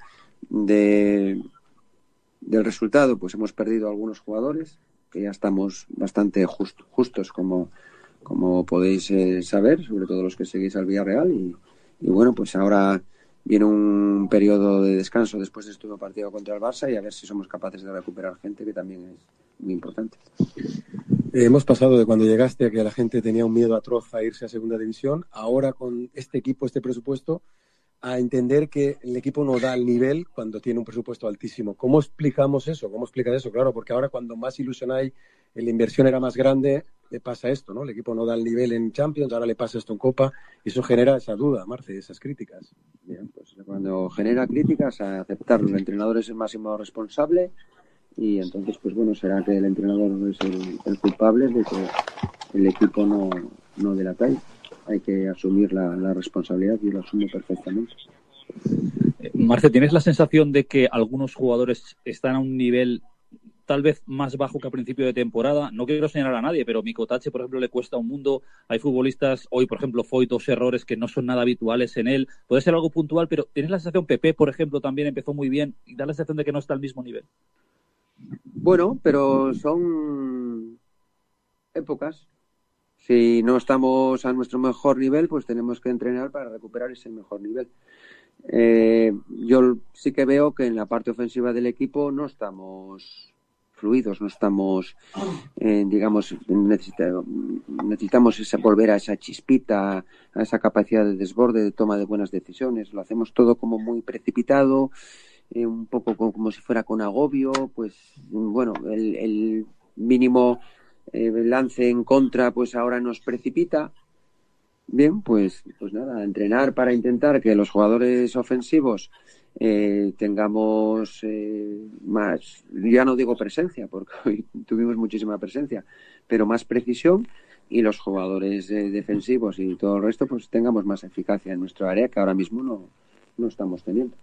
del resultado, pues hemos perdido algunos jugadores, que ya estamos bastante justos, como podéis saber, sobre todo los que seguís al Villarreal, y bueno, pues ahora viene un periodo de descanso después de este nuevo partido contra el Barça y a ver si somos capaces de recuperar gente, que también es muy importante. Hemos pasado de cuando llegaste a que la gente tenía un miedo atroz a irse a segunda división, ahora con este equipo, este presupuesto, a entender que el equipo no da el nivel cuando tiene un presupuesto altísimo. ¿Cómo explicamos eso? ¿Cómo explicas eso? Claro, porque ahora cuando más ilusión hay, la inversión era más grande, le pasa esto, ¿no? El equipo no da el nivel en Champions, ahora le pasa esto en Copa, y eso genera esa duda, Marce, esas críticas. Bien, pues cuando genera críticas, a aceptarlo. El entrenador es el máximo responsable y entonces, pues bueno, será que el entrenador es el culpable de que el equipo no dé la talla. Hay que asumir la responsabilidad y lo asumo perfectamente. Marce, ¿tienes la sensación de que algunos jugadores están a un nivel tal vez más bajo que a principio de temporada? No quiero señalar a nadie, pero Mikotache, por ejemplo, le cuesta un mundo. Hay futbolistas, hoy, por ejemplo, Foyt, 2 errores que no son nada habituales en él. Puede ser algo puntual, pero ¿tienes la sensación? Pepe, por ejemplo, también empezó muy bien y da la sensación de que no está al mismo nivel. Bueno, pero son épocas. Si no estamos a nuestro mejor nivel, pues tenemos que entrenar para recuperar ese mejor nivel. Yo sí que veo que en la parte ofensiva del equipo no estamos fluidos, no estamos, digamos, necesitamos volver a esa chispita, a esa capacidad de desborde, de toma de buenas decisiones. Lo hacemos todo como muy precipitado, un poco como si fuera con agobio. Pues bueno, el mínimo lance en contra pues ahora nos precipita. Bien, pues nada, entrenar para intentar que los jugadores ofensivos tengamos más, ya no digo presencia, porque hoy tuvimos muchísima presencia, pero más precisión, y los jugadores defensivos y todo el resto pues tengamos más eficacia en nuestro área, que ahora mismo no estamos teniendo.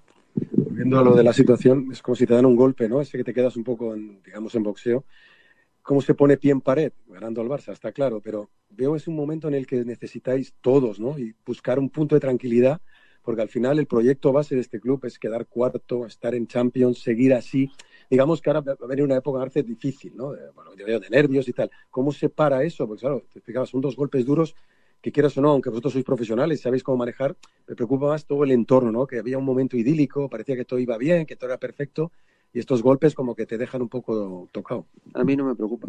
Viendo lo de la situación, es como si te dan un golpe, ¿no? Ese que te quedas un poco, digamos, en boxeo. ¿Cómo se pone pie en pared? Ganando al Barça, está claro, pero veo es un momento en el que necesitáis todos, ¿no? Y buscar un punto de tranquilidad, porque al final el proyecto base de este club es quedar cuarto, estar en Champions, seguir así. Digamos que ahora va a venir una época Arce difícil, ¿no? De nervios y tal. ¿Cómo se para eso? Porque claro, te explicabas, son 2 golpes duros que quieras o no, aunque vosotros sois profesionales, sabéis cómo manejar, me preocupa más todo el entorno, ¿no? Que había un momento idílico, parecía que todo iba bien, que todo era perfecto, y estos golpes como que te dejan un poco tocado. A mí no me preocupa.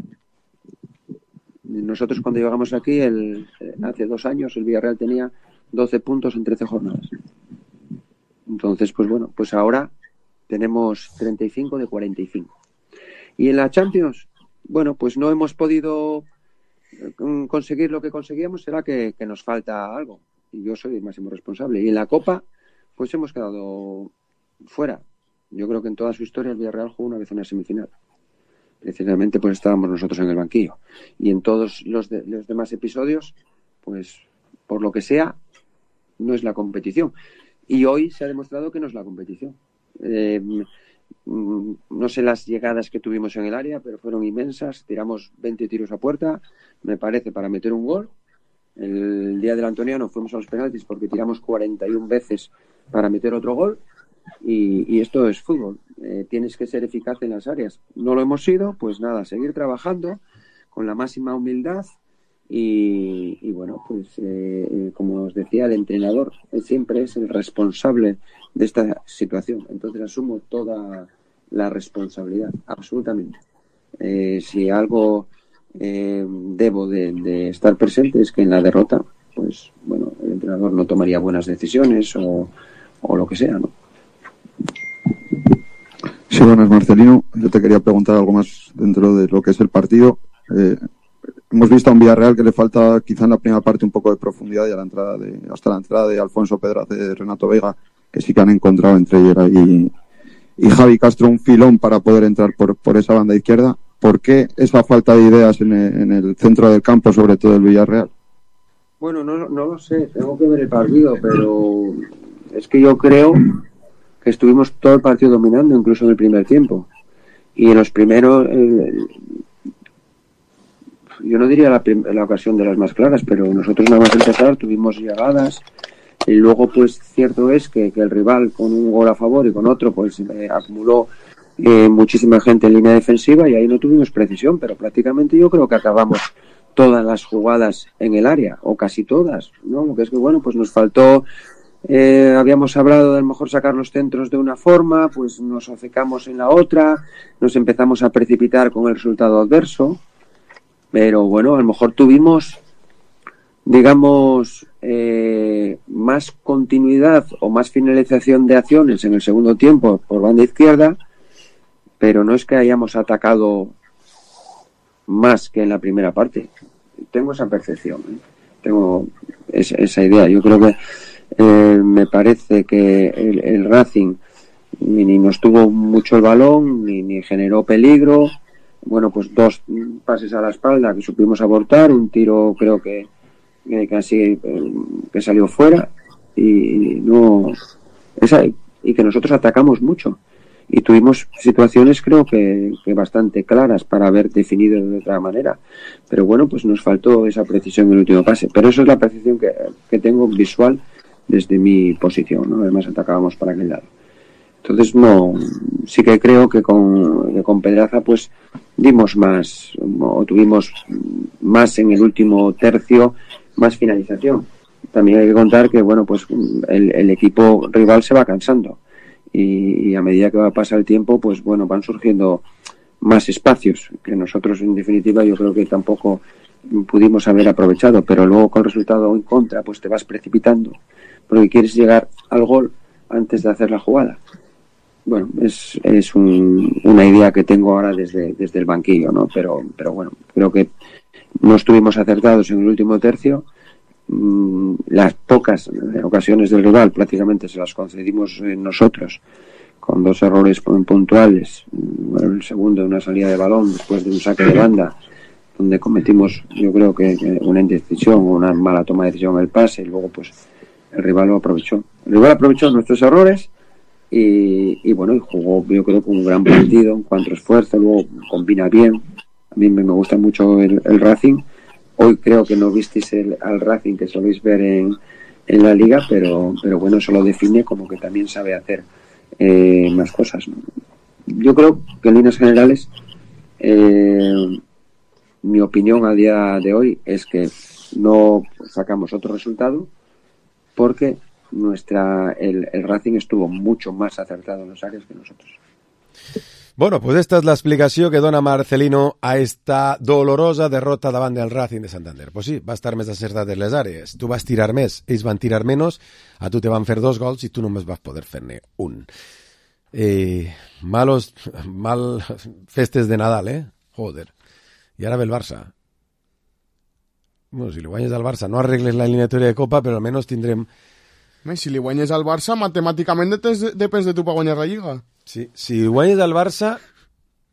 Nosotros cuando llegamos aquí, hace 2 años, el Villarreal tenía 12 puntos en 13 jornadas. Entonces, pues bueno, pues ahora tenemos 35 de 45. Y en la Champions, bueno, pues no hemos podido conseguir lo que conseguíamos, será que nos falta algo. Y yo soy el máximo responsable. Y en la Copa, pues hemos quedado fuera. Yo creo que en toda su historia el Villarreal jugó una vez una semifinal. Precisamente pues estábamos nosotros en el banquillo. Y en todos los demás episodios, pues por lo que sea, no es la competición. Y hoy se ha demostrado que no es la competición. No sé las llegadas que tuvimos en el área, pero fueron inmensas. Tiramos 20 tiros a puerta, me parece, para meter un gol. El día del Antoniano fuimos a los penaltis porque tiramos 41 veces para meter otro gol. Y esto es fútbol. Tienes que ser eficaz en las áreas. No lo hemos sido, pues nada, seguir trabajando con la máxima humildad. Y bueno, pues como os decía, el entrenador siempre es el responsable de esta situación. Entonces asumo toda la responsabilidad, absolutamente. Si algo debo de estar presente es que en la derrota, pues bueno, el entrenador no tomaría buenas decisiones o lo que sea, ¿no? Sí, buenas, Marcelino. Yo te quería preguntar algo más dentro de lo que es el partido. Hemos visto a un Villarreal que le falta quizá en la primera parte un poco de profundidad, y hasta la entrada de Alfonso Pedraza, de Renato Vega, que sí que han encontrado entre Yera y Javi Castro un filón para poder entrar por esa banda izquierda. ¿Por qué esa falta de ideas en el centro del campo, sobre todo el Villarreal? Bueno, no lo sé, tengo que ver el partido, pero es que yo creo que estuvimos todo el partido dominando, incluso en el primer tiempo. Y en los primeros, yo no diría la ocasión de las más claras, pero nosotros nada más empezar tuvimos llegadas, y luego pues cierto es que el rival con un gol a favor y con otro pues acumuló muchísima gente en línea defensiva y ahí no tuvimos precisión, pero prácticamente yo creo que acabamos todas las jugadas en el área, o casi todas, ¿no? Lo que es que, bueno, pues nos faltó, habíamos hablado de a lo mejor sacar los centros de una forma, pues nos obcecamos en la otra, nos empezamos a precipitar con el resultado adverso, pero bueno, a lo mejor tuvimos, digamos, más continuidad o más finalización de acciones en el segundo tiempo por banda izquierda, pero no es que hayamos atacado más que en la primera parte. Tengo esa percepción, tengo esa idea. Yo creo que me parece que el Racing ni nos tuvo mucho el balón, ni generó peligro. Bueno, pues 2 pases a la espalda que supimos abortar, un tiro creo que casi que salió fuera y que nosotros atacamos mucho. Y tuvimos situaciones creo que bastante claras para haber definido de otra manera, pero bueno, pues nos faltó esa precisión en el último pase, pero eso es la percepción que tengo visual desde mi posición, ¿no? Además atacábamos para aquel lado. Entonces no, sí que creo que con Pedraza pues dimos más, o tuvimos más en el último tercio, más finalización. También hay que contar que bueno, pues el equipo rival se va cansando. Y a medida que va a pasar el tiempo, pues bueno, van surgiendo más espacios que nosotros en definitiva yo creo que tampoco pudimos haber aprovechado, pero luego con resultado en contra pues te vas precipitando porque quieres llegar al gol antes de hacer la jugada. Bueno, es una idea que tengo ahora desde el banquillo, ¿no? Pero bueno, creo que no estuvimos acertados en el último tercio. Las pocas ocasiones del rival prácticamente se las concedimos nosotros con 2 errores puntuales. Bueno, el segundo de una salida de balón después de un saque de banda donde cometimos yo creo que una indecisión o una mala toma de decisión en el pase y luego pues el rival lo aprovechó. El rival aprovechó nuestros errores y bueno, y jugó yo creo con un gran partido en cuanto a esfuerzo, luego combina bien. A mí me gusta mucho el Racing. Hoy creo que no visteis al Racing que soléis ver en la liga, pero bueno, eso lo define como que también sabe hacer más cosas, ¿no? Yo creo que en líneas generales mi opinión al día de hoy es que no sacamos otro resultado porque el Racing estuvo mucho más acertado en los áreas que nosotros. Bueno, pues esta és l'explicació que dona Marcelino a esta dolorosa derrota davant del Racing de Santander. Pues sí, va estar més acertat en les àrees. Tu vas tirar més, ells van tirar menys, a tu te van fer 2 gols i tu només vas poder fer-ne un. Mal festes de Nadal, Joder. I ara ve el Barça. Bueno, si li guanyes al Barça no arregles la eliminatòria de Copa, però almenys tindrem... Si li guanyes al Barça, matemàticament depèn de tu per guanyar la Lliga. Sí, si guanyes al Barça,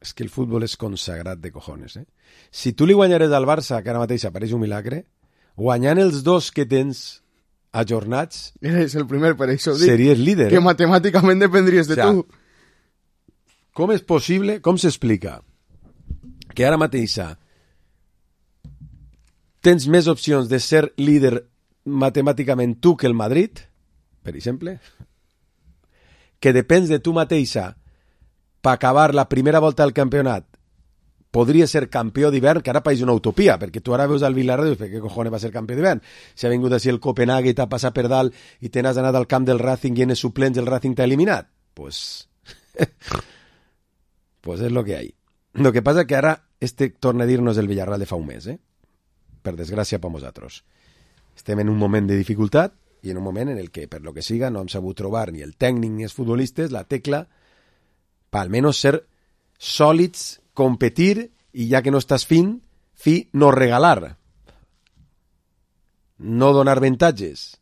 és que el futbol és consagrat de cojones, Si tu li guanyares al Barça, que ara mateix apareix un milagre, guanyant els 2 que tens ajornats... Eres el primer, per això dic. Series líder. Que matemàticament dependries de tu. Com és possible, com s'explica que ara mateix tens més opcions de ser líder matemàticament tu que el Madrid, per exemple, que depens de tu mateixa per acabar la primera volta del campionat, podria ser campió d'hivern, que ara pareix una utopia, perquè tu ara veus al Villarreal i dius, què cojones va ser campió d'hivern? Si ha vingut així el Copenhague i t'ha passat per dalt i te n'has anat al camp del Racing i en els suplents el Racing t'ha eliminat. Pues és lo que hay. Lo que passa que ara torna a dir-nos el Villarreal de fa un mes, per desgràcia per nosaltres. Estem en un moment de dificultat i en un moment en el que, per lo que siga, no hem sabut trobar ni el tècnic ni els futbolistes la tecla per almenys ser sòlids, competir i ja que no estàs no regalar. No donar avantatges.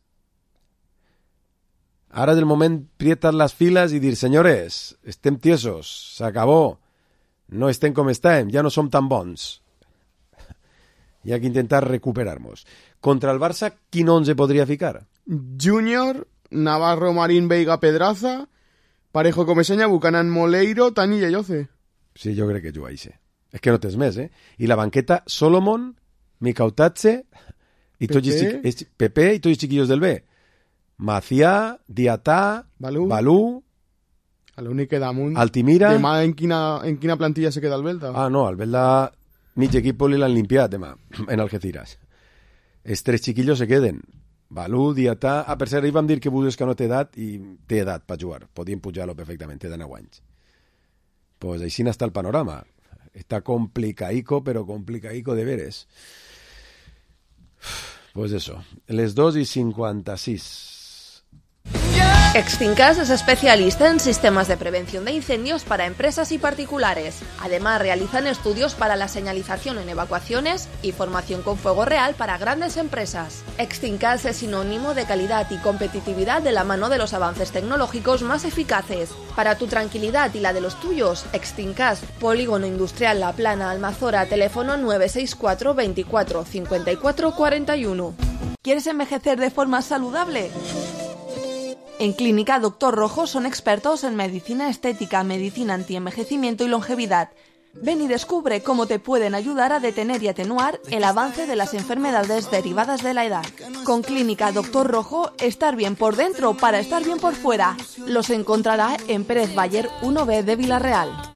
Ara és el moment prietar les files i dir, senyores, estem tiesos, s'acabó, no estem com estem, ja no som tan bons. Hi ha que intentar recuperar-nos. Contra el Barça, quin 11 podria ficar? Júnior, Navarro, Marín, Veiga, Pedraza, Parejo, Comesaña, Buchanan, Moleiro, Tani i Ayoce. Sí, jo crec que juga així. És que no tens més, I la banqueta, Solomon, Mikautatze, i Pepe i tots els chiquillos del B. Macià, Diatà, Balú. L'únic que damunt... Altimira... Demà en quina plantilla se queda el Belda? Ah, no, el Belda... Mig equip li l'han limpiat demà, en Algeciras. Els 3 xiquillos se queden. Balú, Diatà... Ah, per cert, ahir vam dir que Budesca no té edat i té edat per jugar. Podien pujar-lo perfectament, té de 9 anys. Pues així n'està el panorama. Està complicaico, però complicaico de veres. Pues eso, les 2:56. Extincas es especialista en sistemas de prevención de incendios para empresas y particulares. Además, realizan estudios para la señalización en evacuaciones y formación con fuego real para grandes empresas. Extincas es sinónimo de calidad y competitividad de la mano de los avances tecnológicos más eficaces. Para tu tranquilidad y la de los tuyos, Extincas, Polígono Industrial La Plana, Almazora, teléfono 964 24 54 41. ¿Quieres envejecer de forma saludable? En Clínica Dr. Rojo son expertos en medicina estética, medicina antienvejecimiento y longevidad. Ven y descubre cómo te pueden ayudar a detener y atenuar el avance de las enfermedades derivadas de la edad. Con Clínica Dr. Rojo, estar bien por dentro para estar bien por fuera. Los encontrará en Pérez Bayer 1B de Villarreal.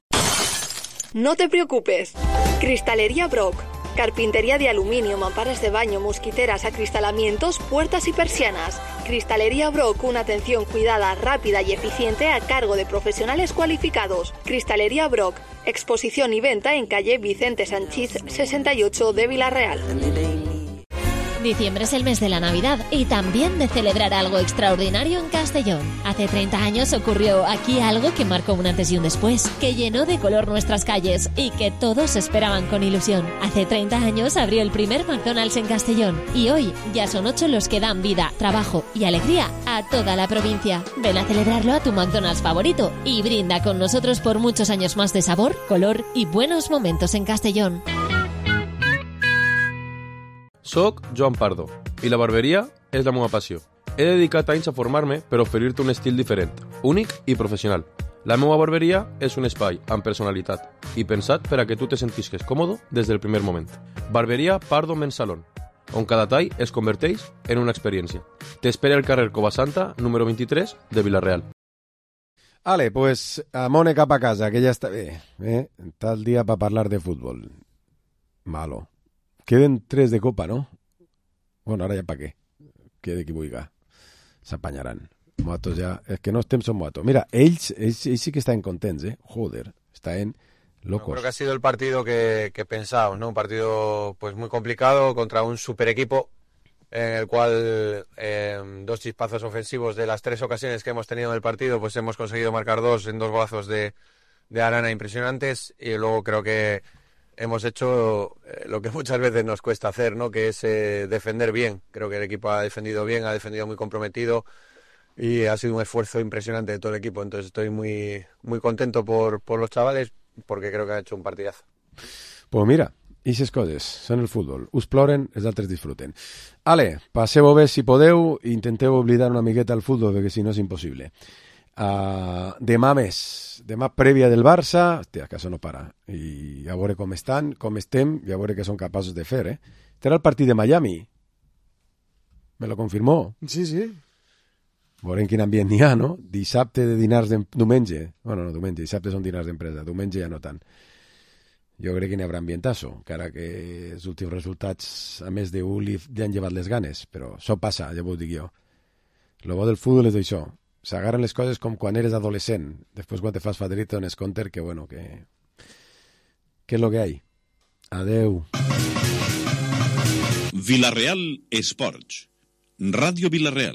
No te preocupes. Cristalería Brock. Carpintería de aluminio, mamparas de baño, mosquiteras, acristalamientos, puertas y persianas. Cristalería Brock, una atención cuidada, rápida y eficiente a cargo de profesionales cualificados. Cristalería Brock, exposición y venta en calle Vicente Sanchís 68 de Villarreal. Diciembre es el mes de la Navidad y también de celebrar algo extraordinario en Castellón. Hace 30 años ocurrió aquí algo que marcó un antes y un después, que llenó de color nuestras calles y que todos esperaban con ilusión. Hace 30 años abrió el primer McDonald's en Castellón y hoy ya son 8 los que dan vida, trabajo y alegría a toda la provincia. Ven a celebrarlo a tu McDonald's favorito y brinda con nosotros por muchos años más de sabor, color y buenos momentos en Castellón. Soc Joan Pardo i la barberia és la meva passió. He dedicat anys a formar-me per oferir-te un estil diferent, únic i professional. La meva barberia és un espai amb personalitat i pensat per a que tu te sentisques còmode des del primer moment. Barberia Pardo Men's Salon, on cada tall es converteix en una experiència. T'espera al carrer Covasanta, número 23, de Villarreal. Ale, pues amone cap a casa, que ja està bé. Tal dia per parlar de futbol. Malo. Queden 3 de copa, no? Bueno, ara ja pa què? Quede qui vulgui. S'apanyaran. Motos ja... És que no estem son motos. Mira, ells sí que estan contents, Joder, estan locos. Creo que ha sido el partido que pensábamos, ¿no? Un partido pues muy complicado contra un super equipo en el cual 2 chispazos ofensivos de las 3 ocasiones que hemos tenido en el partido, pues hemos conseguido marcar 2 en 2 golazos de Arana impresionantes y luego creo que hemos hecho lo que muchas veces nos cuesta hacer, ¿no? Que es defender bien. Creo que el equipo ha defendido bien, ha defendido muy comprometido y ha sido un esfuerzo impresionante de todo el equipo. Entonces estoy muy, muy contento por los chavales porque creo que han hecho un partidazo. Pues mira, aquestes coses són el futbol. Us ploren, els altres disfruten. Ale, passeu-ho bé si podeu i intenteu oblidar una miqueta el futbol perquè si no és impossible. Demà més, demà prèvia del Barça, hòstia, que això no para, i a veure com estan, com estem, i a veure què són capaços de fer, Este era el partit de Miami, me lo confirmó. Sí, sí. Veurem quin ambient n'hi ha, no? Dissabte de dinars diumenge, bueno, no diumenge, dissabte són dinars d'empresa, diumenge ja no tant. Jo crec que n'hi haurà ambientasso, encara que els últims resultats, a més d'un, li han llevat les ganes, però això passa, ja ho dic jo. Lo bo del futbol és això. S'agarren les coses com quan eres adolescent. Després quan te fas fadrito en esconter que bueno, que és lo que hay. Adeu. Villarreal Esports. Ràdio Villarreal.